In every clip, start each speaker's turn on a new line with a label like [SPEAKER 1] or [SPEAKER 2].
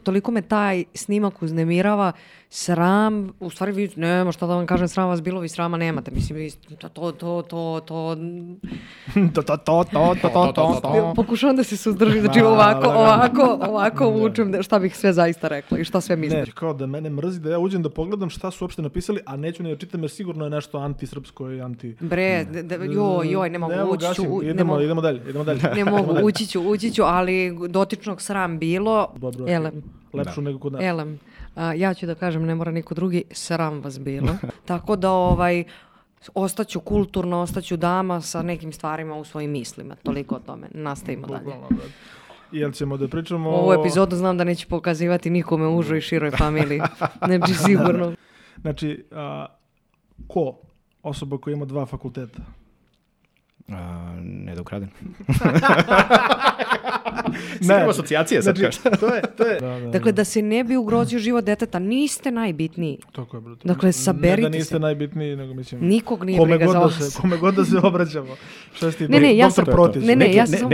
[SPEAKER 1] Toliko me taj snimak uznemirava, sram, u stvari vi, nema šta da vam kažem, sram vas bilo, vi srama nemate, mislim, vi, pokušavam da se suzdržim, znači ovako učem šta bih sve zaista rekla i šta sve mislim.
[SPEAKER 2] Ne, kao da mene mrzi da ja uđem da pogledam šta su uopšte napisali, a neću ne čitam jer sigurno je nešto antisrpsko i anti...
[SPEAKER 1] Bre, ne mogu, ući ću.
[SPEAKER 2] Idemo dalje.
[SPEAKER 1] Ne mogu, ući ću, ali dotičnog sram bilo.
[SPEAKER 2] Dobro,
[SPEAKER 1] elem.
[SPEAKER 2] Lepšu nego kod nas.
[SPEAKER 1] Elem. Ja ću da kažem, ne mora niko drugi, sram vas bilo. Tako da ostaću kulturno, ostaću dama sa nekim stvarima u svojim mislima. Toliko o tome. Nastavimo dalje.
[SPEAKER 2] Jel ćemo da pričamo
[SPEAKER 1] ovu epizodu znam da neće pokazivati nikome u užoj i široj familiji. Znači, sigurno.
[SPEAKER 2] Znači, ko? Osoba koja ima 2 fakulteta?
[SPEAKER 3] Ne da ukradem.
[SPEAKER 2] Ne,
[SPEAKER 3] asocijacije sad
[SPEAKER 2] znači, to je.
[SPEAKER 1] Dakle, da se ne bi ugrozio život deteta, niste najbitniji.
[SPEAKER 2] Tako je, brutalno.
[SPEAKER 1] Dakle, saberite se.
[SPEAKER 2] Ne da niste najbitniji, nego mislim...
[SPEAKER 1] Nikog nije briga za vas.
[SPEAKER 2] Kome god da se obraćamo. Šta si ti, doktor Protić?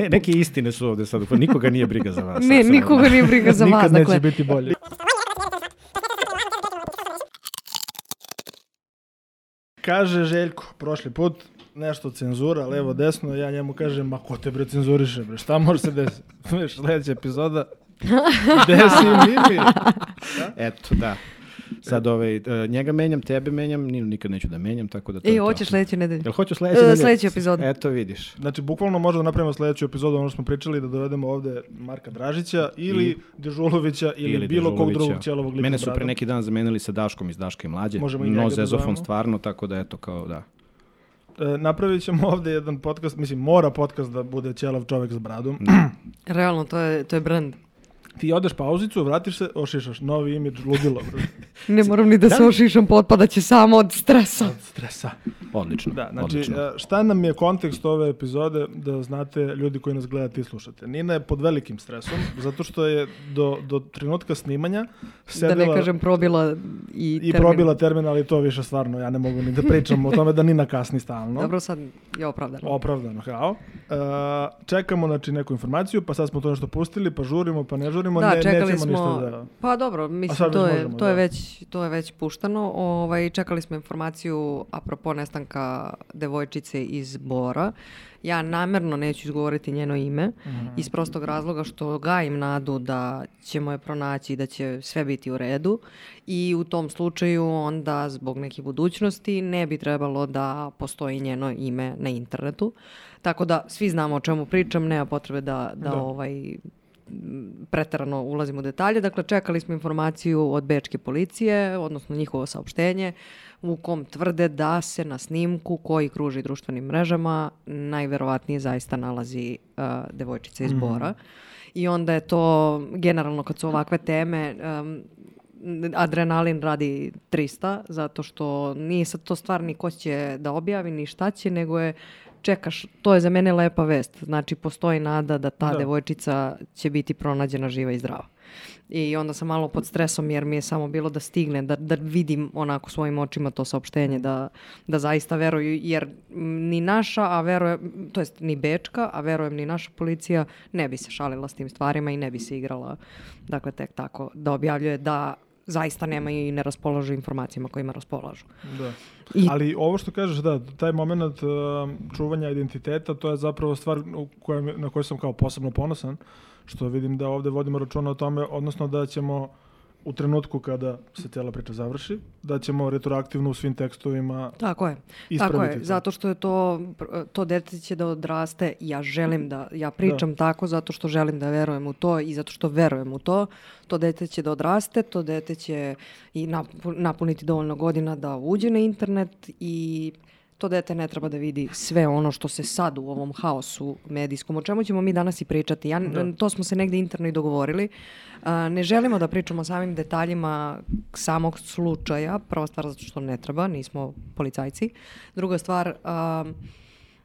[SPEAKER 3] Neke istine su ovde sad, nikoga nije briga za vas.
[SPEAKER 1] Ne, nikoga nije briga za vas.
[SPEAKER 2] Nikad neće biti bolje. Kaže Željko, prošli put, nešto cenzura, levo, desno, ja njemu kažem, ma ko te bre cenzuriše, bre, šta može se desiti? Sljedeća epizoda, desi Mimi.
[SPEAKER 3] Eto, da. Sad njega menjam, tebe menjam, Ninu nikad neću da menjam, tako da to je to.
[SPEAKER 1] Hoćeš sljedeću nedelju?
[SPEAKER 3] Jel hoću sljedeću nedelju?
[SPEAKER 1] Sljedeću epizodu.
[SPEAKER 3] Eto, vidiš.
[SPEAKER 2] Znači, bukvalno možemo napravimo sljedeću epizodu, ono što smo pričali, da dovedemo ovde Marka Dražića ili Dežulovića ili bilo kog drugog ćelovog lika.
[SPEAKER 3] Mene su pre neki dan zamenili sa Daškom iz Daške i Mlađe. No zezofon stvarno, tako da eto, kao da.
[SPEAKER 2] Napravit ćemo ovde jedan podcast, mislim, mora podcast da bude ćelav čovjek s bradom.
[SPEAKER 1] Realno, to je brand.
[SPEAKER 2] Ti odeš pauzicu, vratiš se, ošišaš, novi imidž, ludilo.
[SPEAKER 1] Ne moram ni da se ošišam, potpadaće samo od stresa.
[SPEAKER 2] Od stresa.
[SPEAKER 3] Odlično.
[SPEAKER 2] Da, znači,
[SPEAKER 3] odlično.
[SPEAKER 2] Šta nam je kontekst ove epizode, da znate ljudi koji nas gledate i slušate. Nina je pod velikim stresom, zato što je do trenutka snimanja sedela...
[SPEAKER 1] Da ne kažem probila i termin.
[SPEAKER 2] I probila termin, ali to više stvarno, ja ne mogu ni da pričam o tome da Nina kasni stalno.
[SPEAKER 1] Dobro, sad je opravdano.
[SPEAKER 2] Opravdano, kao. Čekamo, znači, neku informaciju, pa sad smo to nešto pustili, pa žurimo, pa ne žurimo.
[SPEAKER 1] Da, čekali smo, pa dobro, mislim, to je već puštano. Čekali smo informaciju apropo nestanka devojčice iz Bora. Ja namjerno neću izgovoriti njeno ime, iz prostog razloga što gajim nadu da ćemo je pronaći i da će sve biti u redu. I u tom slučaju onda zbog neke budućnosti ne bi trebalo da postoji njeno ime na internetu. Tako da svi znamo o čemu pričam, nema potrebe da preterano ulazimo u detalje. Dakle, čekali smo informaciju od bečke policije, odnosno njihovo saopštenje, u kom tvrde da se na snimku koji kruži društvenim mrežama najverovatnije zaista nalazi devojčica iz Bora. I onda je to, generalno kad su ovakve teme, adrenalin radi 300, zato što nije sad to stvar ni ko će da objavi, ni šta će, nego je čekaš, to je za mene lepa vest. Znači, postoji nada da ta devojčica će biti pronađena živa i zdrava. I onda sam malo pod stresom jer mi je samo bilo da stigne, da vidim onako svojim očima to saopštenje, da zaista veruju, jer ni naša, a verujem, to jest ni bečka, a verujem ni naša policija ne bi se šalila s tim stvarima i ne bi se igrala, dakle, tek tako da objavljuje da zaista nema i ne raspolažu informacijama kojima raspolažu.
[SPEAKER 2] Da. Ali ovo što kažeš, da, taj moment čuvanja identiteta, to je zapravo stvar na kojoj sam kao posebno ponosan, što vidim da ovdje vodimo računa o tome, odnosno da ćemo u trenutku kada se cijela priča završi, da ćemo retroaktivno u svim tekstovima ispraviti.
[SPEAKER 1] Tako je, zato što je to dete će da odraste, ja pričam tako zato što želim da verujem u to i zato što verujem u to. To dete će da odraste, to dete će i napuniti dovoljno godina da uđe na internet i to dete ne treba da vidi sve ono što se sad u ovom haosu medijskom, o čemu ćemo mi danas i pričati. To smo se negdje interno i dogovorili. Ne želimo da pričamo o samim detaljima samog slučaja. Prva stvar zato što ne treba, nismo policajci. Druga stvar,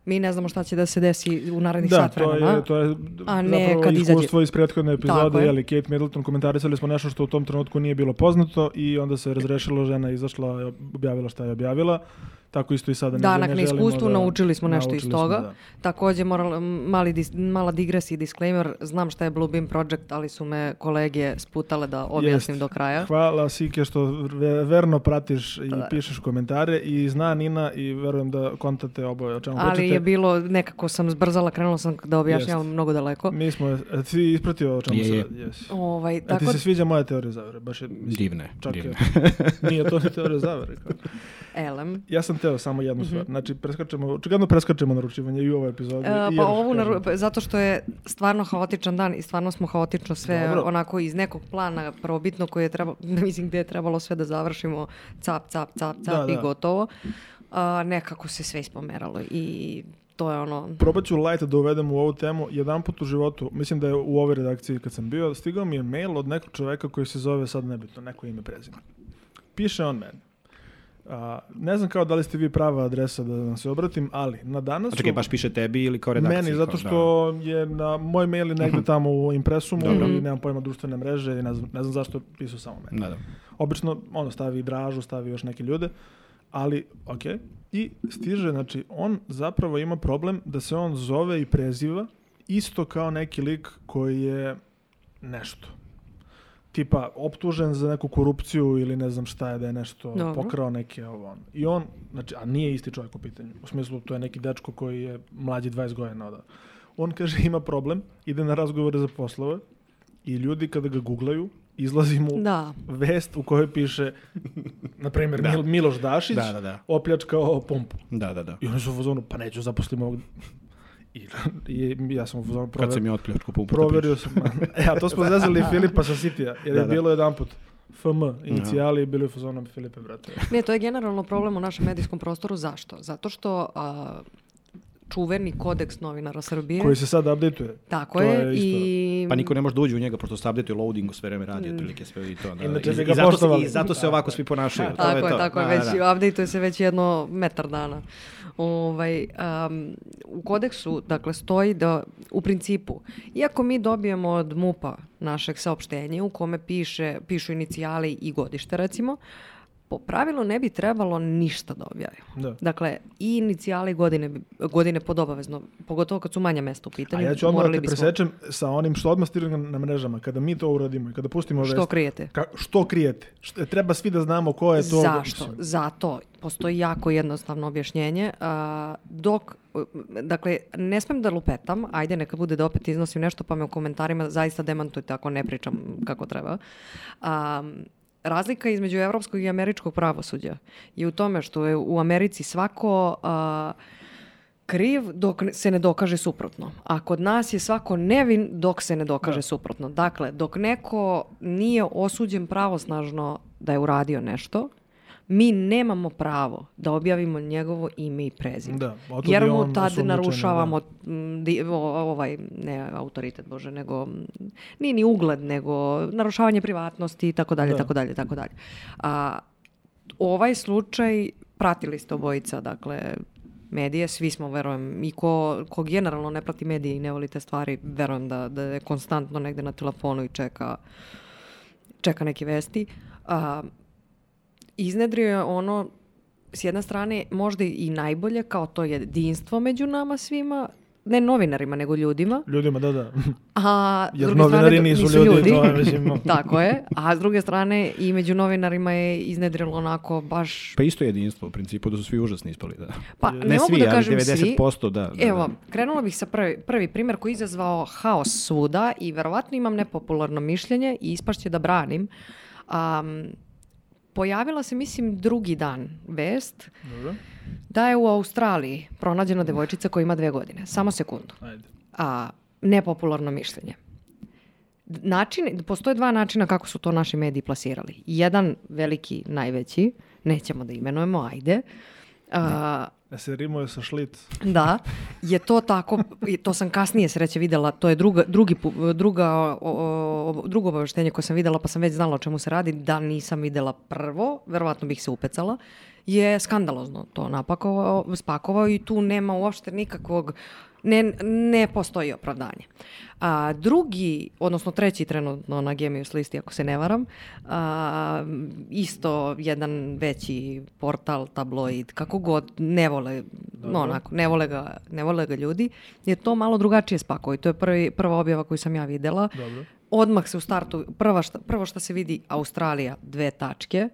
[SPEAKER 1] mi ne znamo šta će da se desi u narednih sat vremena.
[SPEAKER 2] To je zapravo iskustvo iz prethodne epizode. Kate Middleton, komentarisali smo nešto što u tom trenutku nije bilo poznato i onda se razrešilo, žena izašla, objavila šta je objavila. tako isto i sada.
[SPEAKER 1] Danak na iskustvu, naučili smo nešto iz toga.
[SPEAKER 2] Da.
[SPEAKER 1] Također, mala digresija i disclaimer, znam šta je Bluebeam Project, ali su me kolege sputale da objasnim do kraja.
[SPEAKER 2] Hvala Sike što verno pratiš i pišeš komentare i zna Nina i verujem da kontate oboje o čemu pričate.
[SPEAKER 1] Ali je bilo, nekako sam zbrzala, krenula sam da objašnjavam mnogo daleko.
[SPEAKER 2] Mi smo, ti ispratio o čemu se radi. A ti se sviđa moja teorija zavere? Baš je
[SPEAKER 3] divne.
[SPEAKER 2] Nije to ni teorija zavere.
[SPEAKER 1] Elem.
[SPEAKER 2] Ja sam teo samo jednu stvar. Znači, očigledno preskačemo naručivanje i u ovoj epizodi.
[SPEAKER 1] Zato što je stvarno haotičan dan i stvarno smo haotično sve onako iz nekog plana prvobitno koji je trebalo, mislim gdje je trebalo sve da završimo cap i gotovo. Nekako se sve ispomeralo i to je ono...
[SPEAKER 2] Probat ću light da uvedem u ovu temu. Jedan put u životu, mislim da je u ovoj redakciji kad sam bio, stigao mi je mail od nekog čoveka koji se zove, sad nebitno, neko ime prezime. Piše on meni. Ne znam kao da li ste vi prava adresa da vam se obratim, ali na danas...
[SPEAKER 3] A čekaj, baš piše tebi ili kao redakciji?
[SPEAKER 2] Meni, zato što je na moj mail negdje tamo u impresumu i nemam pojma društvene mreže i ne znam zašto pisao samo meni.
[SPEAKER 3] Da.
[SPEAKER 2] Obično stavi Dražu, stavi još neke ljude, ali okej. I stiže, znači on zapravo ima problem da se on zove i preziva isto kao neki lik koji je nešto. Tipa optužen za neku korupciju ili ne znam šta je, da je nešto pokrao neke ovo. I on, znači, a nije isti čovjek u pitanju. U smislu, to je neki dečko koji je mlađi 20 godina. On kaže ima problem, ide na razgovore za poslove i ljudi kada ga googlaju, izlazi mu vest u kojoj piše, na primjer, Miloš Dašić opljačkao pumpu.
[SPEAKER 3] Da.
[SPEAKER 2] I oni su u fazonu, pa neću zaposlim ovog... I ja sam u fazonu
[SPEAKER 3] Kad sam je otpljačku pumpu.
[SPEAKER 2] Proverio sam. A to smo zezali Filipa sa Sitija, jer je bilo jedan put FM, inicijali i bili u fazonu Filipe, brate.
[SPEAKER 1] Ne, to je generalno problem u našem medijskom prostoru. Zašto? Zato što... čuveni kodeks novinara Srbije.
[SPEAKER 2] Koji se sad updateuje.
[SPEAKER 1] Tako je. I...
[SPEAKER 3] Pa niko ne može da uđe u njega, pošto se updateuje loadingu, sve vreme radi, otprilike sve i to. I zato se ovako svi ponašaju.
[SPEAKER 1] Tako je. Updateuje se već jedno metar dana. U kodeksu, dakle, stoji da u principu, iako mi dobijemo od MUP-a našeg saopštenja u kome pišu inicijali i godište, recimo, po pravilu ne bi trebalo ništa da objavimo.
[SPEAKER 2] Da.
[SPEAKER 1] Dakle, i inicijali godine pod obavezno, pogotovo kad su manja mesta u pitanju.
[SPEAKER 2] A ja ću odmah da te presečem sa onim što odmah stiže na mrežama. Kada mi to uradimo i kada pustimo vest...
[SPEAKER 1] Što krijete?
[SPEAKER 2] Što krijete? Treba svi da znamo ko je to...
[SPEAKER 1] Zašto? Zato postoji jako jednostavno objašnjenje. Dakle, ne smem da lupetam, ajde neka bude da opet iznosim nešto, pa me u komentarima zaista demantujte ako ne pričam kako treba. Razlika između evropskog i američkog pravosuđa je u tome što je u Americi svako kriv dok se ne dokaže suprotno. A kod nas je svako nevin dok se ne dokaže suprotno. Dakle, dok neko nije osuđen pravosnažno da je uradio nešto, mi nemamo pravo da objavimo njegovo ime i prezime. Jer mu tad narušavamo ne autoritet, Bože, nego nije ni ugled, nego narušavanje privatnosti i tako dalje, tako dalje. Ovaj slučaj pratili ste obojica, dakle, medije, svi smo, verujem, i ko generalno ne prati medije i ne voli te stvari, verujem da je konstantno negde na telefonu i čeka neke vesti. Iznedrio je ono, s jedne strane, možda i najbolje, kao to jedinstvo među nama svima, ne novinarima, nego ljudima.
[SPEAKER 2] Ljudima, da.
[SPEAKER 1] Jer novinari
[SPEAKER 2] nisu ljudi. To je, mislim.
[SPEAKER 1] Tako je. A s druge strane, i među novinarima je iznedrilo onako baš...
[SPEAKER 3] Pa isto jedinstvo, u principu, da su svi užasni ispali. Da.
[SPEAKER 1] Pa ne mogu da kažem svi.
[SPEAKER 3] 90%, da.
[SPEAKER 1] Evo, krenula bih sa prvi primjer koji je izazvao haos svuda i verovatno imam nepopularno mišljenje i ispašće da branim. Pojavila se, mislim, drugi dan vest da je u Australiji pronađena devojčica koja ima 2 godine. Samo sekundu. Nepopularno mišljenje. Postoje 2 načina kako su to naši mediji plasirali. Jedan veliki, najveći, nećemo da imenujemo, ajde.
[SPEAKER 2] Da se rimuje sa šlic.
[SPEAKER 1] Da, je to tako, to sam kasnije sreće videla, to je drugo obaveštenje koje sam videla, pa sam već znala o čemu se radi, da nisam videla prvo, verovatno bih se upecala, je skandalozno to spakovao i tu nema uopšte Ne postoji opravdanje. Drugi, odnosno treći trenutno na Genius listi, ako se ne varam, isto jedan veći portal, tabloid, kako god, ne vole ga ljudi, je to malo drugačije spakovao i to je prva objava koju sam ja videla.
[SPEAKER 2] Dobro.
[SPEAKER 1] Odmah se u startu, prvo što se vidi Australija, 2 tačke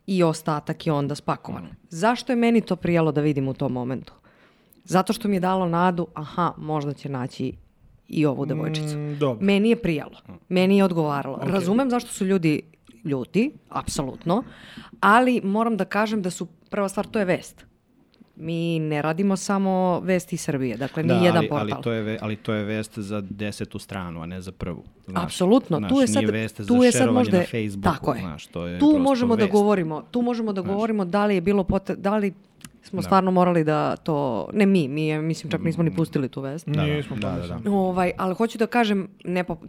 [SPEAKER 1] i ostatak je onda spakovan. Zašto je meni to prijalo da vidim u tom momentu? Zato što mi je dalo nadu, možda će naći i ovu devojčicu. Meni je prijalo, meni je odgovaralo. Okay. Razumem zašto su ljudi ljuti, apsolutno, ali moram da kažem da su, prva stvar, to je vest. Mi ne radimo samo vesti iz Srbije, dakle ni jedan portal.
[SPEAKER 3] Ali to je vest za 10. stranu, a ne za prvu.
[SPEAKER 1] Apsolutno.
[SPEAKER 3] Tu je sad možda na Facebooku.
[SPEAKER 1] Tako je. Tu možemo da govorimo da li je bilo da li smo stvarno morali da to, ne mi mislim čak nismo ni pustili tu vest.
[SPEAKER 2] Nismo.
[SPEAKER 1] Ali hoću da kažem,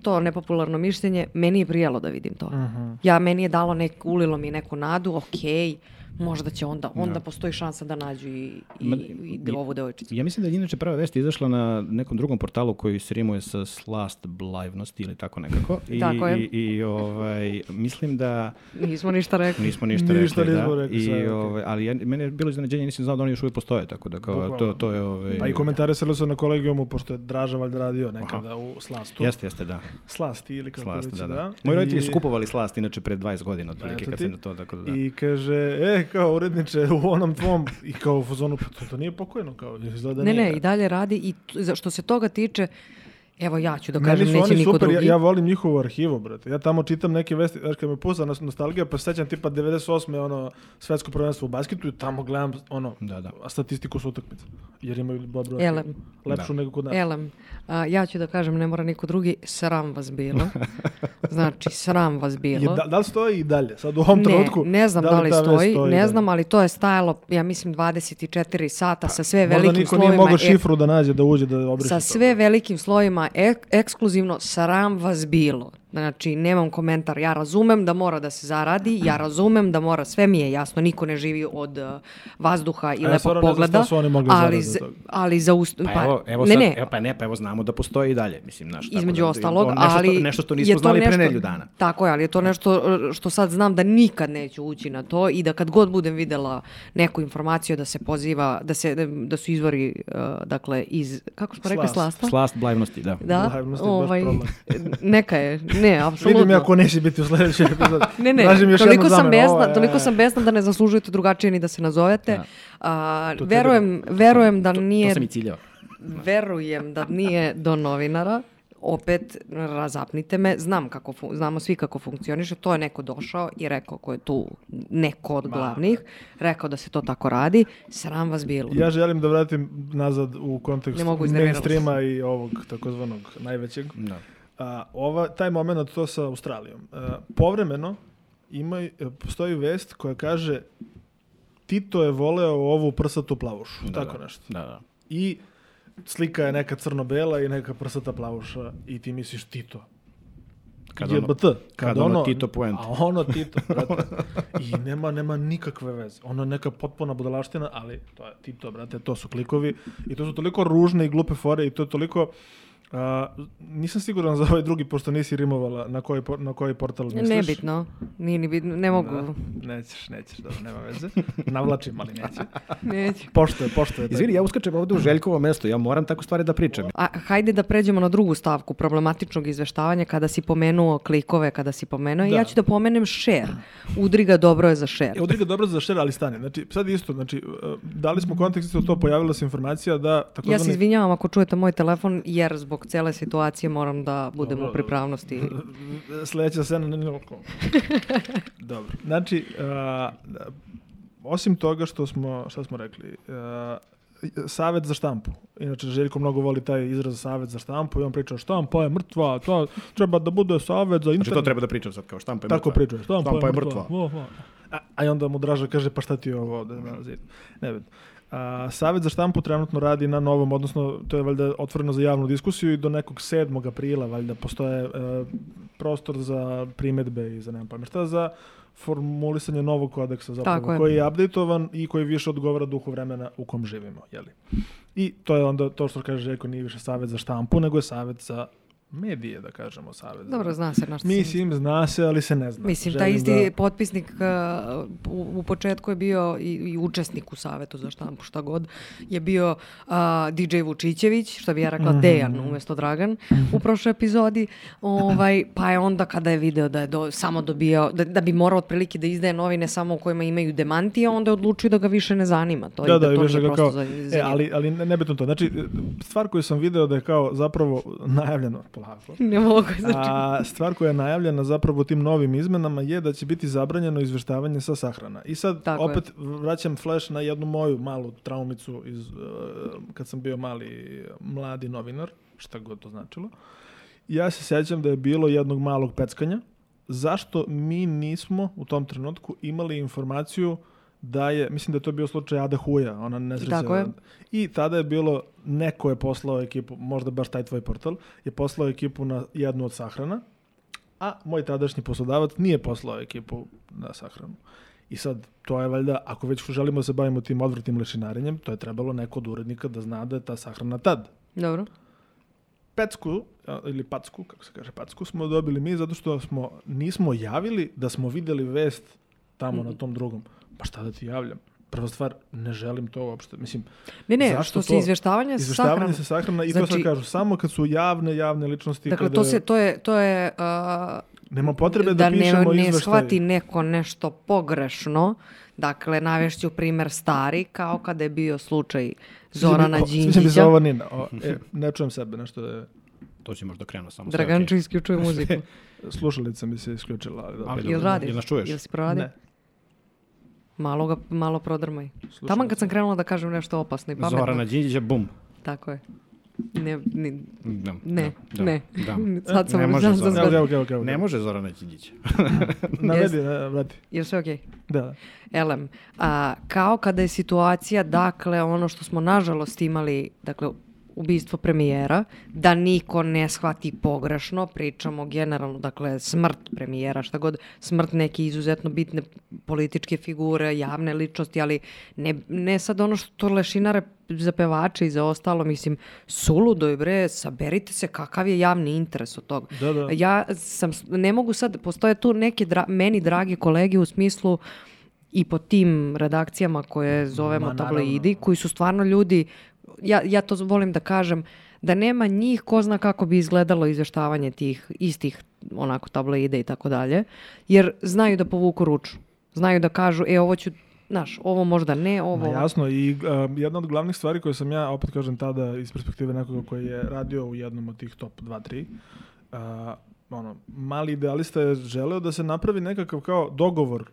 [SPEAKER 1] to nepopularno mišljenje, meni je prijelo da vidim to. Meni je dalo ulilo mi neku nadu, okej, možda će onda postoji šansa da nađu i ovu devojčicu.
[SPEAKER 3] Ja mislim da je inače prva vest izašla na nekom drugom portalu koji se rimuje sa Slast Blivnosti ili tako nekako.
[SPEAKER 1] Tako je.
[SPEAKER 3] I mislim da...
[SPEAKER 1] Nismo ništa rekli.
[SPEAKER 3] Ali meni je bilo iznenađenje, nisam znao da oni još uvijek postoje, tako da to je...
[SPEAKER 2] Pa i komentarisali su na kolegijumu, pošto je Draža valjda radio nekada u Slastu.
[SPEAKER 3] Jeste, da.
[SPEAKER 2] Slasti ili kako reći, da.
[SPEAKER 3] Moji roditelji su kupovali Slast, inače pred 20 godina, otprilike kad se na to, tako da.
[SPEAKER 2] I kaže, kao uredniče u onom tvom, i kao u fazonu, to nije pokojno, kao izgleda nije.
[SPEAKER 1] Ne, i dalje radi i što se toga tiče, evo ja ću da kažem, neće niko
[SPEAKER 2] super,
[SPEAKER 1] drugi.
[SPEAKER 2] Ja volim njihovu arhivu, brate. Ja tamo čitam neke vesti, znaš kad me puza nostalgija, pa sećam tipa 98. Svetsko prvenstvo u basketu i tamo gledam statistiku s utakmica. Jer imaju dobro lepšu nego kod nas.
[SPEAKER 1] Ja ću da kažem, ne mora niko drugi, sram vas bilo. Znači, sram vas bilo.
[SPEAKER 2] Da li stoji i dalje? Sad u ovom trenutku?
[SPEAKER 1] Ne znam da li stoji, ne znam, ali to je stajalo, ja mislim, 24 sata sa sve velikim slovima.
[SPEAKER 2] Možda niko nije mogao šifru da nađe, da uđe, da obriše.
[SPEAKER 1] Sa sve velikim slovima, ekskluzivno, sram vas bilo. Znači, nemam komentar. Ja razumem da mora da se zaradi, ja razumem da mora, sve mi je jasno, niko ne živi od vazduha i lepog pogleda, ali za
[SPEAKER 3] evo znamo da postoji i dalje, mislim,
[SPEAKER 1] između ostalog, ali
[SPEAKER 3] nešto što nismo znali pre nedelju dana.
[SPEAKER 1] Tako je, ali je to nešto što sad znam da nikad neću ući na to i da kad god budem videla neku informaciju da se poziva, da su izvori, dakle, iz, kako smo rekli, Slasta?
[SPEAKER 3] Slast Blivnosti, da.
[SPEAKER 1] Neka je. Ne, apsolutno.
[SPEAKER 2] Vidim ja ko neće biti u sledećoj epizodi.
[SPEAKER 1] Ne, toliko sam besna da ne zaslužujete drugačije ni da se nazovete. Verujem da nije...
[SPEAKER 3] To sam i ciljao.
[SPEAKER 1] Verujem da nije do novinara. Opet, razapnite me. Znamo svi kako funkcioniše. To je neko došao i rekao ko je tu neko od glavnih. Rekao da se to tako radi. Sram vas bilo.
[SPEAKER 2] Ja želim da vratim nazad u kontekst mainstreama i ovog takozvanog najvećeg. Taj moment to sa Australijom. Povremeno postoji vest koja kaže Tito je voleo ovu prsatu plavušu. Tako nešto.
[SPEAKER 3] Da.
[SPEAKER 2] I slika je neka crno-bela i neka prsata plavuša i ti misliš Tito.
[SPEAKER 3] Kad ono Tito puente.
[SPEAKER 2] A ono Tito, brate. I nema nikakve veze. Ono je neka potpuna budalaština, ali to je Tito, brate. To su klikovi i to su toliko ružne i glupe fore i to je toliko... nisam siguran za ovaj drugi, pošto nisi rimovala na koji portal misliš.
[SPEAKER 1] Nebitno, nije ni bitno, ne mogu.
[SPEAKER 2] Nećeš, dobro, nema veze. Navlačim, ali
[SPEAKER 1] neće.
[SPEAKER 2] Pošto je.
[SPEAKER 3] Izvini, ja uskačem ovdje u Željkovo mesto, ja moram tako stvari da pričam.
[SPEAKER 1] Hajde da pređemo na drugu stavku problematičnog izveštavanja, kada si pomenuo klikove, i ja ću da pomenem share. Udriga dobro je za share.
[SPEAKER 2] Udriga dobro je za share, ali stane. Znači, sad isto, dali smo kontekst isto to, pojavila se informacija da...
[SPEAKER 1] Ja se izvinjavam ako čujete moj telefon, jer zbog cele situacije moram da budem u pripravnosti.
[SPEAKER 2] Sljedeća scena ne niko. Dobro. Znači, osim toga šta smo rekli, Savet za štampu. Inače, Željko mnogo voli taj izraz Savet za štampu i on priča štampa je mrtva, to treba da bude Savet za internet.
[SPEAKER 3] Znači to treba da pričam sad kao štampa je mrtva.
[SPEAKER 2] Tako priča, štampa je mrtva. A onda mu Draža kaže pa šta ti je ovo ovde na zidu. Ne vidim. Savet za štampu trenutno radi na novom, odnosno to je valjda otvoreno za javnu diskusiju i do nekog 7. aprila valjda postoje prostor za primedbe i za nemam pojma šta, za formulisanje novog kodeksa zapravo, koji je updateovan i koji više odgovara duhu vremena u kom živimo. Jeli? I to je onda to što kaže Željko, nije više Savet za štampu, nego je Savet za medije, da kažemo, Savez.
[SPEAKER 1] Dobro, zna se na što
[SPEAKER 2] mislim, zna se, ali se ne zna.
[SPEAKER 1] Mislim, taj isti potpisnik u početku je bio i učesnik u Savetu za štampu, šta god, je bio DJ Vučićević, što bi ja rekla Dejan umjesto Dragan u prošloj epizodi, pa je onda kada je video da je samo dobijao, da bi morao otprilike da izdaje novine samo u kojima imaju demantije, onda je odlučio da ga više ne zanima. To je prosto zanimljivo.
[SPEAKER 2] Ali nebitno to. Znači, stvar koju sam video da je kao zapravo najavljeno,
[SPEAKER 1] ne mogu, znači.
[SPEAKER 2] Stvar koja je najavljena zapravo tim novim izmenama je da će biti zabranjeno izveštavanje sa sahrana. I sad opet vraćam flash na jednu moju malu traumicu kad sam bio mladi novinar, šta god to značilo. Ja se sjećam da je bilo jednog malog peckanja. Zašto mi nismo u tom trenutku imali informaciju da je, mislim da je to bio slučaj Ada Huja, ona nesreća. I tada je bilo, neko je poslao ekipu, možda baš taj tvoj portal, je poslao ekipu na jednu od sahrana, a moj tadašnji poslodavac nije poslao ekipu na sahranu. I sad, to je valjda, ako već želimo da se bavimo tim odvratnim lešinarenjem, to je trebalo neko od urednika da zna da je ta sahrana tad.
[SPEAKER 1] Dobro.
[SPEAKER 2] Pecku, ili packu, kako se kaže packu, smo dobili mi zato što nismo javili da smo vidjeli vest tamo na tom drugom. Pa šta da ti javljam? Prva stvar, ne želim to uopšte. Mislim,
[SPEAKER 1] ne, što se izvještavanje
[SPEAKER 2] sa sahrana i znači, to sad kažu, samo kad su javne ličnosti.
[SPEAKER 1] Dakle, to je
[SPEAKER 2] nema potrebe da pišemo izveštaj.
[SPEAKER 1] Da ne shvati neko nešto pogrešno. Dakle, navešću primjer stari, kao kada je bio slučaj Zorana Đinđića.
[SPEAKER 2] Ne čujem sebe, nešto da je...
[SPEAKER 3] To će možda krenuo samo.
[SPEAKER 1] Draganču isključuje muziku.
[SPEAKER 2] Slušalica mi se isključila.
[SPEAKER 1] Jel radiš?
[SPEAKER 3] Jel nas čuješ?
[SPEAKER 1] Jel si proradio?
[SPEAKER 2] Ne.
[SPEAKER 1] Malo prodrmaj. Taman kad sam krenula da kažem nešto opasno i pametno.
[SPEAKER 3] Zorana Đinđića, bum.
[SPEAKER 1] Tako je. Ne.
[SPEAKER 3] Sad sam ne može Zorana Đinđića.
[SPEAKER 2] Navedi, vrati.
[SPEAKER 1] Jel sve okej?
[SPEAKER 2] Da.
[SPEAKER 1] Elem, kao kada je situacija, dakle, ono što smo nažalost imali, dakle, ubistvo premijera, da niko ne shvati pogrešno, pričamo generalno, dakle, smrt premijera, šta god, smrt neke izuzetno bitne političke figure, javne ličnosti, ali ne sad ono što lešinare za pevače i za ostalo, mislim, suludo je, bre, saberite se kakav je javni interes od toga.
[SPEAKER 2] Da.
[SPEAKER 1] Ja ne mogu sad, postoje tu neke meni dragi kolege u smislu i po tim redakcijama koje zovemo tabloidi, koji su stvarno ljudi. Ja to volim da kažem, da nema njih, ko zna kako bi izgledalo izveštavanje tih istih onako tabloide i tako dalje, jer znaju da povuku ruču. Znaju da kažu, ovo ću, ovo možda ne, ovo...
[SPEAKER 2] Jasno, i jedna od glavnih stvari koje sam ja, opet kažem tada, iz perspektive nekoga koji je radio u jednom od tih top 2-3, mali idealista je želeo da se napravi nekakav kao dogovor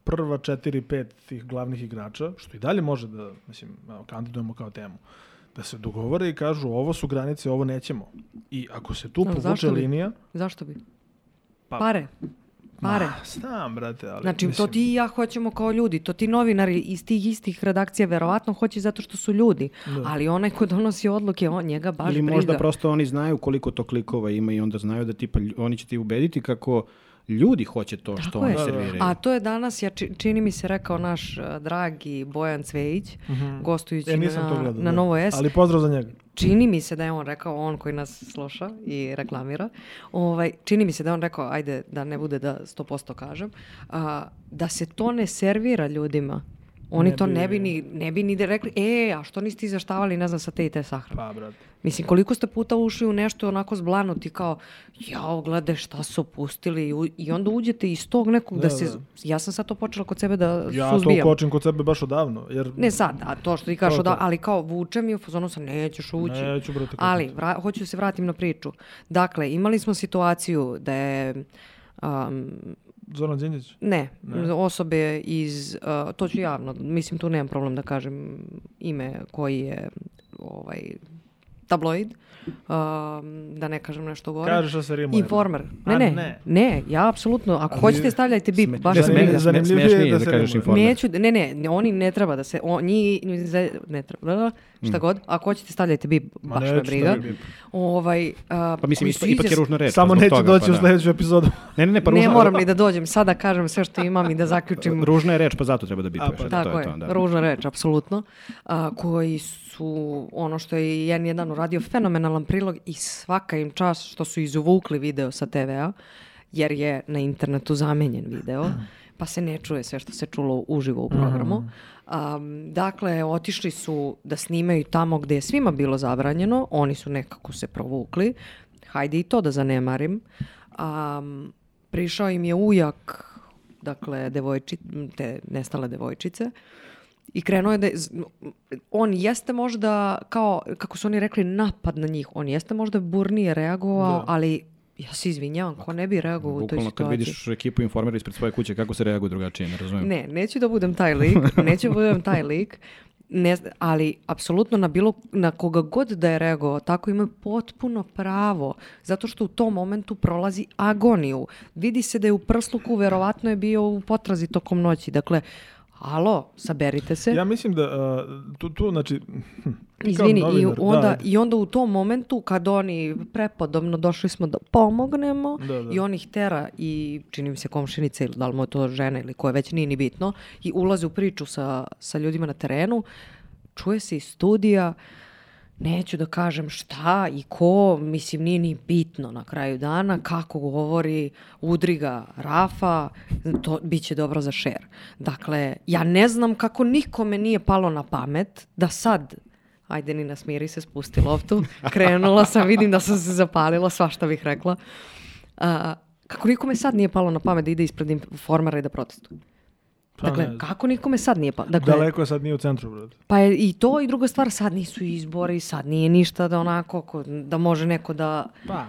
[SPEAKER 2] prva 4-5 tih glavnih igrača, što i dalje može da, mislim, kandidujemo kao temu, da se dogovore i kažu ovo su granice, ovo nećemo. I ako se tu povuče linija...
[SPEAKER 1] Zašto bi? Pare.
[SPEAKER 2] Znam, brate, ali...
[SPEAKER 1] Znači, to ti i ja hoćemo kao ljudi, to ti novinari iz tih istih redakcija verovatno hoće zato što su ljudi, ali onaj ko donosi odluke, njega baš briga.
[SPEAKER 3] Ili možda prosto oni znaju koliko to klikova ima i onda znaju da tipa oni će ti ubediti kako ljudi hoće to što oni serviraju. A
[SPEAKER 1] to je danas, čini mi se rekao naš dragi Bojan Cvejić, gostujući na Novo S.
[SPEAKER 2] Ali pozdrav za njega.
[SPEAKER 1] Čini mi se da je on rekao, on koji nas sluša i reklamira, čini mi se da je on rekao, ajde da ne bude da 100% kažem, da se to ne servira ljudima. Oni to ne bi ni rekli, a što niste izveštavali, ne znam, sa te i te sahrane.
[SPEAKER 2] Pa, brate.
[SPEAKER 1] Mislim, koliko ste puta ušli u nešto onako zblanuti kao, gledaj šta su pustili i onda uđete iz tog nekog da se... Ja sam sad to počela kod sebe da suzbijam.
[SPEAKER 2] Ja to kočim kod sebe baš odavno. Jer...
[SPEAKER 1] Ne sad, a to što ti kažeš odavno, ali kao vučem i u fazonu sam, nećeš ući.
[SPEAKER 2] Neću, brate.
[SPEAKER 1] Ali, hoću da se vratim na priču. Dakle, imali smo situaciju da je...
[SPEAKER 2] Zoran Đinđić?
[SPEAKER 1] Ne, osobe iz, to ću javno, mislim tu nemam problem da kažem ime koji je tabloid, da ne kažem nešto gore.
[SPEAKER 2] Kažeš da se rimuje.
[SPEAKER 1] Informer. Ne, ja apsolutno, ako hoćete stavljajte bip, baš
[SPEAKER 2] zanimljivije
[SPEAKER 3] da kažeš informer.
[SPEAKER 1] Ne, oni ne treba da se, ne treba, šta god, ako hoćete stavljajte bip, baš me briga.
[SPEAKER 3] Pa mislim, ipak je ružna reč.
[SPEAKER 2] Samo neću doći u sledeću epizodu.
[SPEAKER 1] Ne moram ni da dođem, sada kažem sve što imam i da zaključim.
[SPEAKER 3] Ružna je reč, pa zato treba da bipuješ.
[SPEAKER 1] Tako je, ružna reč, apsolutno. Koji su, ono što je N1 uradio, fenomenalan prilog i svaka im čast što su izvukli video sa TV-a, jer je na internetu zamenjen video, pa se ne čuje sve što se čulo uživo u programu. Dakle, otišli su da snimaju tamo gde je svima bilo zabranjeno, oni su nekako se provukli, hajde i to da zanemarim. Prišao im je ujak, dakle, te nestale devojčice, i krenuo je da on jeste možda, kao, kako su oni rekli, napad na njih. On jeste možda burnije reagovao, ali ja se izvinjavam, ko ne bi reagovao u toj situaciji.
[SPEAKER 3] Kad vidiš ekipu informera ispred svoje kuće, kako se reaguje drugačije, ne razumijem.
[SPEAKER 1] Ne, neću da budem taj lik, ali apsolutno na koga god da je reagovao, tako ima potpuno pravo, zato što u tom momentu prolazi agoniju. Vidi se da je u prsluku, verovatno je bio u potrazi tokom noći, dakle, alo, saberite se.
[SPEAKER 2] Ja mislim da tu znači...
[SPEAKER 1] Izvini, i onda u tom momentu kad oni prepodobno došli smo da pomognemo i on ih tera i čini mi se komšinica ili da li mu je to žena ili koja već nije ni bitno i ulaze u priču sa ljudima na terenu, čuje se iz studija, neću da kažem šta i ko, mislim nije ni bitno na kraju dana, kako govori, udri ga Rafa, to bit će dobro za share. Dakle, ja ne znam kako nikome nije palo na pamet da sad, ajde Nina smiri se, spusti loptu, krenula sam, vidim da sam se zapalila, svašta bih rekla. Kako nikome sad nije palo na pamet da ide ispred informera i da protestuje? Dakle, kako nikome sad nije palo? Dakle,
[SPEAKER 2] daleko je sad nije u centru, brate.
[SPEAKER 1] Pa je i to i druga stvar, sad nisu izbori, sad nije ništa da onako, da može neko da...
[SPEAKER 2] Pa,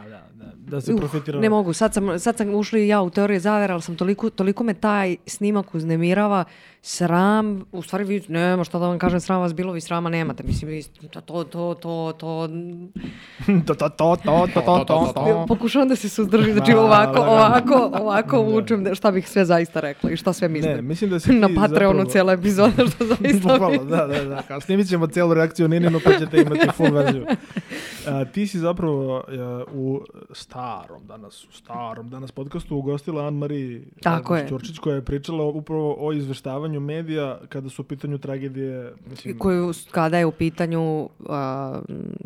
[SPEAKER 2] da se profitira.
[SPEAKER 1] Ne mogu, sad sam ušli ja u teorije zavere, ali sam toliko me taj snimak uznemirava, sram, u stvari vi, nema šta da vam kažem, sram vas bilo, vi srama nemate, mislim, vi pokušavam da se suzdržim, znači ovako vučem šta bih sve zaista rekla i šta sve mislim.
[SPEAKER 2] Ne, mislim da si ti
[SPEAKER 1] na Patreonu cijela epizoda, što zaista
[SPEAKER 2] bukvalno, da. Kao snimit ćemo cijelu reakciju Nininu, pa ćete imati full verziju. Ti si zapravo u starom danas podcastu ugostila Anne-Marie Ćurčić, koja je pričala upravo o izveštavanju medija kada su u pitanju tragedije. Mislim,
[SPEAKER 1] kada je u pitanju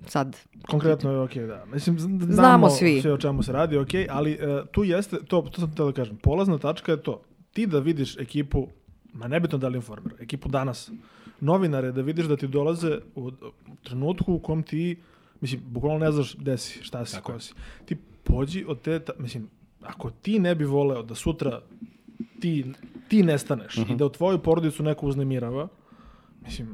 [SPEAKER 1] sad...
[SPEAKER 2] Konkretno je okej, da. Mislim,
[SPEAKER 1] znamo svi
[SPEAKER 2] sve o čemu se radi, okej, ali tu jeste, to sam htio da kažem, polazna tačka je to. Ti da vidiš ekipu, ma nebitno da li informer, ekipu danas, novinare, da vidiš da ti dolaze u trenutku u kom ti, mislim, bukvalno ne znaš gde si, šta si, ko si. Ti pođi od te, mislim, ako ti ne bi voleo da sutra ti nestaneš i da u tvoju porodicu neko uznemirava, mislim,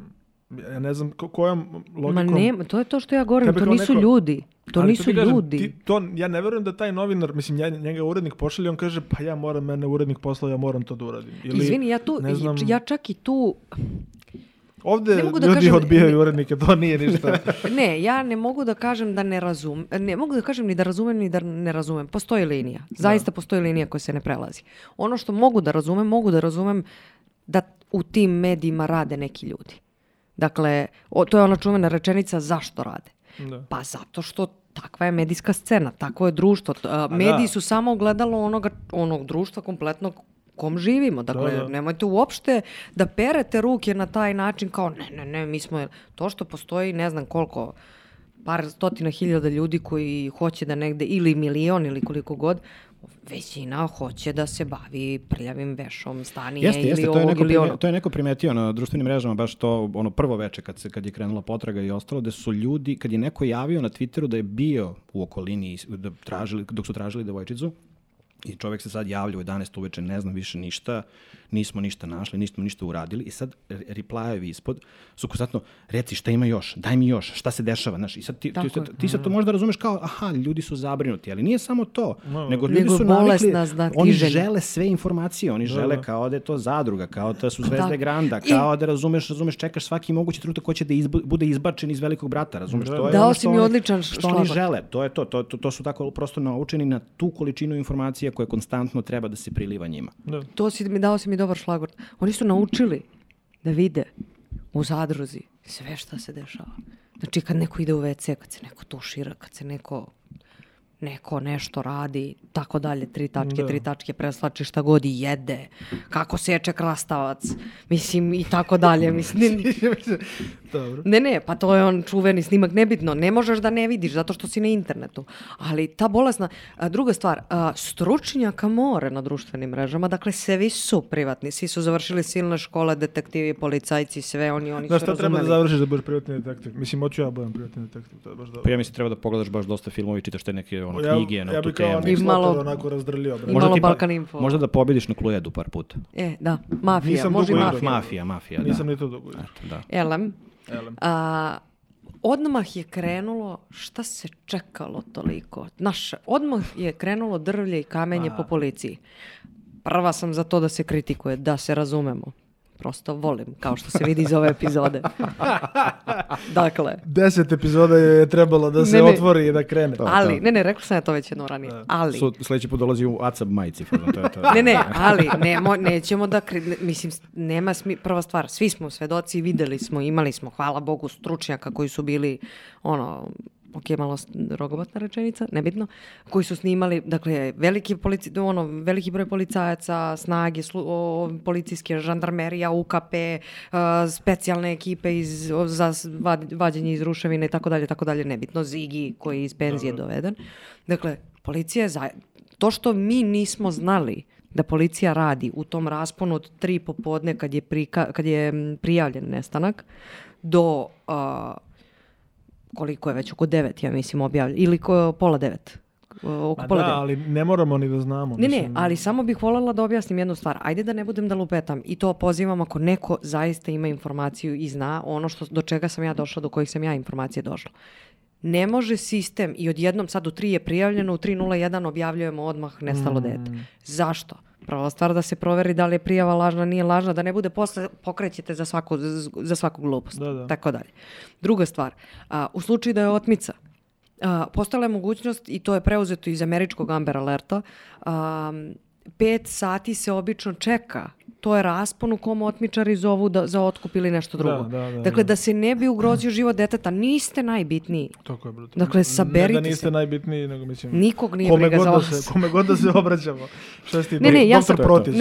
[SPEAKER 2] ja ne znam kojom logikom...
[SPEAKER 1] Ma ne, to je to što ja govorim, to nisu ljudi. To nisu ljudi.
[SPEAKER 2] Ja ne verujem da taj novinar, mislim, njega urednik pošalje, on kaže, pa ja moram, mene urednik poslao, ja moram to da uradim.
[SPEAKER 1] Izvini, ja čak i tu...
[SPEAKER 2] Ovde ljudi odbijaju urednike, to nije ništa.
[SPEAKER 1] Ne, ja ne mogu da kažem da ne razumem. Ne mogu da kažem ni da razumem ni da ne razumem. Postoji linija. Zaista postoji linija koja se ne prelazi. Ono što mogu da razumem da u tim medijima rade neki ljudi. Dakle, to je ona čuvena rečenica zašto rade. Da. Pa zato što takva je medijska scena, takvo je društvo. Mediji su samo ogledalo onog društva kompletnog kom živimo. Dakle, nemojte uopšte da perete ruke na taj način kao ne, mi smo... To što postoji, ne znam koliko, par stotina hiljada ljudi koji hoće da negde, ili milion ili koliko god, većina hoće da se bavi prljavim vešom stanije ili ovog ili ono.
[SPEAKER 3] To je neko primetio na društvenim mrežama, baš to prvo veče kad je krenula potraga i ostalo, da su ljudi, kad je neko javio na Twitteru da je bio u okolini dok su tražili devojčicu, I čovjek se sad javlja u 11 uveče, ne znam više ništa, nismo ništa našli, nismo ništa uradili i sad replajevi ispod su konstantno, reci šta ima još, daj mi još, šta se dešava, znaš, i sad ti sad to možda razumeš kao, aha, ljudi su zabrinuti, ali nije samo to, nego ljudi su navikli, oni žele sve informacije, oni žele kao da je to zadruga, kao da su Zvezde Granda, kao da razumeš, čekaš svaki mogući trenutak ko će da bude izbačen iz Velikog brata, razumeš, to je ono što oni žele, to je to su tako prosto naučeni na tu količinu informacija koje konstantno treba da se priliva njima.
[SPEAKER 1] Dao si mi dobar šlagvort. Oni su naučili da vide u zadruzi sve šta se dešava. Znači kad neko ide u WC, kad se neko tušira, kad se neko nešto radi, tako dalje, 3 tačke, preslači šta god i jede, kako seče krastavac, mislim, i tako dalje, mislim.
[SPEAKER 2] Dobro.
[SPEAKER 1] Ne, pa to je on čuveni snimak, nebitno, ne možeš da ne vidiš zato što si na internetu, ali ta bolesna, druga stvar, stručnjaka more na društvenim mrežama, dakle, svi su privatni, svi su završili silne škole, detektivi, policajci, sve oni su razumeli.
[SPEAKER 2] Šta treba da završiš da budeš privatni detektiv? Mislim, hoću ja budem privatni detektiv, to je baš dobro.
[SPEAKER 3] Pa ja mislim, treba da pogledaš baš dosta filmova i čitaš te neke knjige na tu temu.
[SPEAKER 2] Ja bih kao Slotter onako razdrljio.
[SPEAKER 1] I malo Balkan Info.
[SPEAKER 3] Možda da pobediš na Cluedu par puta.
[SPEAKER 1] Da, mafija, može
[SPEAKER 3] mafija.
[SPEAKER 2] Nisam ni to dugo igrao.
[SPEAKER 1] Elem. Odmah je krenulo, šta se čekalo toliko? Odmah je krenulo drvlje i kamenje po policiji. Prva sam za to da se kritikuje, da se razumemo. Prosto volim, kao što se vidi iz ove epizode. Dakle. 10
[SPEAKER 2] epizoda je trebalo da se otvori i da krene.
[SPEAKER 1] Ali, rekla sam ja to već jedno ranije. Ali.
[SPEAKER 3] Sljedeći put dolazi u ACAB majici.
[SPEAKER 1] Ali nećemo da, mislim, nema prva stvar, svi smo svedoci, videli smo, imali smo, hvala Bogu, stručnjaka koji su bili, malo rogobatna rečenica, nebitno, koji su snimali, dakle, veliki broj policajaca, snage, policijske, žandarmerija, UKP, specijalne ekipe za vađenje iz ruševine i tako dalje, nebitno, Zigi koji je iz penzije doveden. Dakle, policija to što mi nismo znali da policija radi u tom rasponu od 3 popodne kad je prijavljen nestanak do koliko je već, oko 9, ja mislim, objavljeno, ili pola 9.
[SPEAKER 2] Ali ne moramo ni da znamo.
[SPEAKER 1] Ne, ali samo bih voljela da objasnim jednu stvar. Ajde da ne budem da lupetam i to pozivam ako neko zaista ima informaciju i zna ono do čega sam ja došla, do kojih sam ja informacije došla. Ne može sistem i odjednom sad u 3 je prijavljeno, u 3:01 objavljujemo odmah nestalo dete. Zašto? Prva stvar da se proveri da li je prijava lažna, nije lažna, da ne bude posle pokrećete za svaku glupost. Tako dalje. Druga stvar, u slučaju da je otmica, postala je mogućnost, i to je preuzeto iz američkog Amber Alerta, 5 sati se obično čeka. To je raspon u kom otmičari zovu za otkup ili nešto drugo. Dakle, da se ne bi ugrozio život deteta, niste najbitniji.
[SPEAKER 2] Tako je, brutalno.
[SPEAKER 1] Dakle, saberite se.
[SPEAKER 2] Ne da niste najbitniji, nego mislim...
[SPEAKER 1] Nikog nije briga za vas.
[SPEAKER 2] Kome god da se obraćamo. Šta si ti,
[SPEAKER 1] doktor Protić?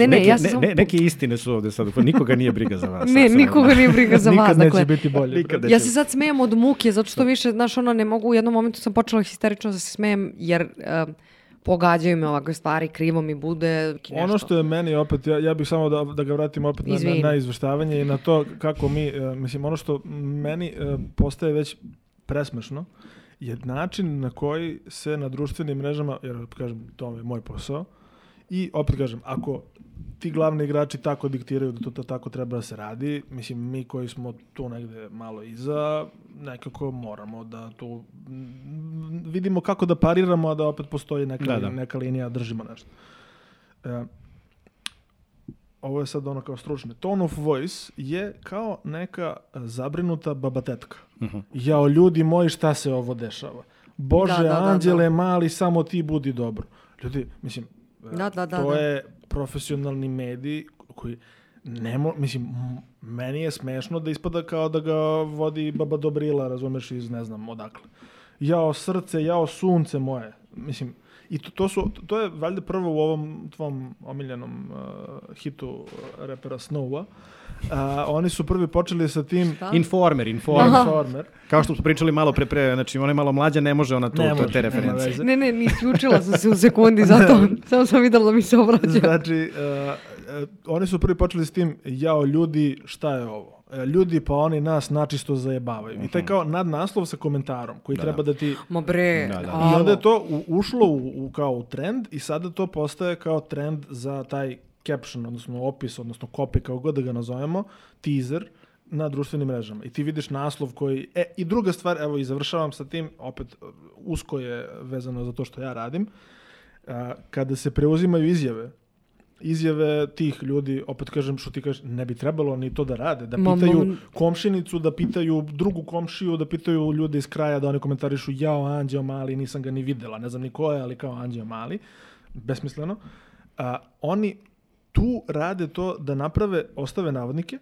[SPEAKER 3] Neke istine su ovde sad, nikoga nije briga za vas.
[SPEAKER 1] Nikoga nije briga za vas.
[SPEAKER 2] Nikad neće biti bolje.
[SPEAKER 1] Ja se sad smijem od muke, zato što više, ne mogu, u jednom momentu sam počela histerično da se smijem, jer... pogađaju me ovakve stvari, krivo mi bude nešto.
[SPEAKER 2] Ono što je meni opet, ja bih samo da ga vratim opet na izveštavanje i na to kako mi, mislim, ono što meni postaje već presmešno je način na koji se na društvenim mrežama, jer kažem, to je moj posao, i opet kažem, ako ti glavni igrači tako diktiraju da to tako treba da se radi, mislim, mi koji smo tu negde malo iza, nekako moramo da tu vidimo kako da pariramo, a da opet postoji neka linija, držimo nešto. Ovo je sad ono kao stručno. Tone of voice je kao neka zabrinuta babatetka. Jao, ljudi moji, šta se ovo dešava? Bože, anđele mali, samo ti budi dobro. Ljudi, mislim, to je profesionalni medij koji mislim, meni je smešno da ispada kao da ga vodi baba Dobrila, razumeš, iz ne znam odakle. Jao srce, jao sunce moje. Mislim, i to je valjda prvo u ovom tvom omiljenom hitu repera Snowa. Oni su prvi počeli sa tim...
[SPEAKER 3] Informer. Kao što smo pričali malo pre, znači ona je malo mlađa, ne može ona te referencije.
[SPEAKER 1] Ne, isključila sam se u sekundi, zato samo sam videla da mi se obraća.
[SPEAKER 2] Znači, oni su prvi počeli s tim, jao ljudi, šta je ovo? ljudi pa oni nas načisto zajebavaju. I taj kao nadnaslov sa komentarom koji treba da ti...
[SPEAKER 1] Ma bre,
[SPEAKER 2] I onda je to ušlo kao u trend i sada to postaje kao trend za taj caption, odnosno opis, odnosno copy, kao god da ga nazovemo, teaser na društvenim mrežama. I ti vidiš naslov koji... I druga stvar, evo i završavam sa tim, opet usko je vezano za to što ja radim, kada se preuzimaju izjave tih ljudi, opet kažem što ti kažeš, ne bi trebalo ni to da rade, da pitaju komšinicu, da pitaju drugu komšiju, da pitaju ljude iz kraja, da oni komentarišu jao Anđeo Mali, nisam ga ni videla, ne znam ni ko je, ali kao Anđeo Mali, besmisleno. Oni tu rade to da ostave navodnike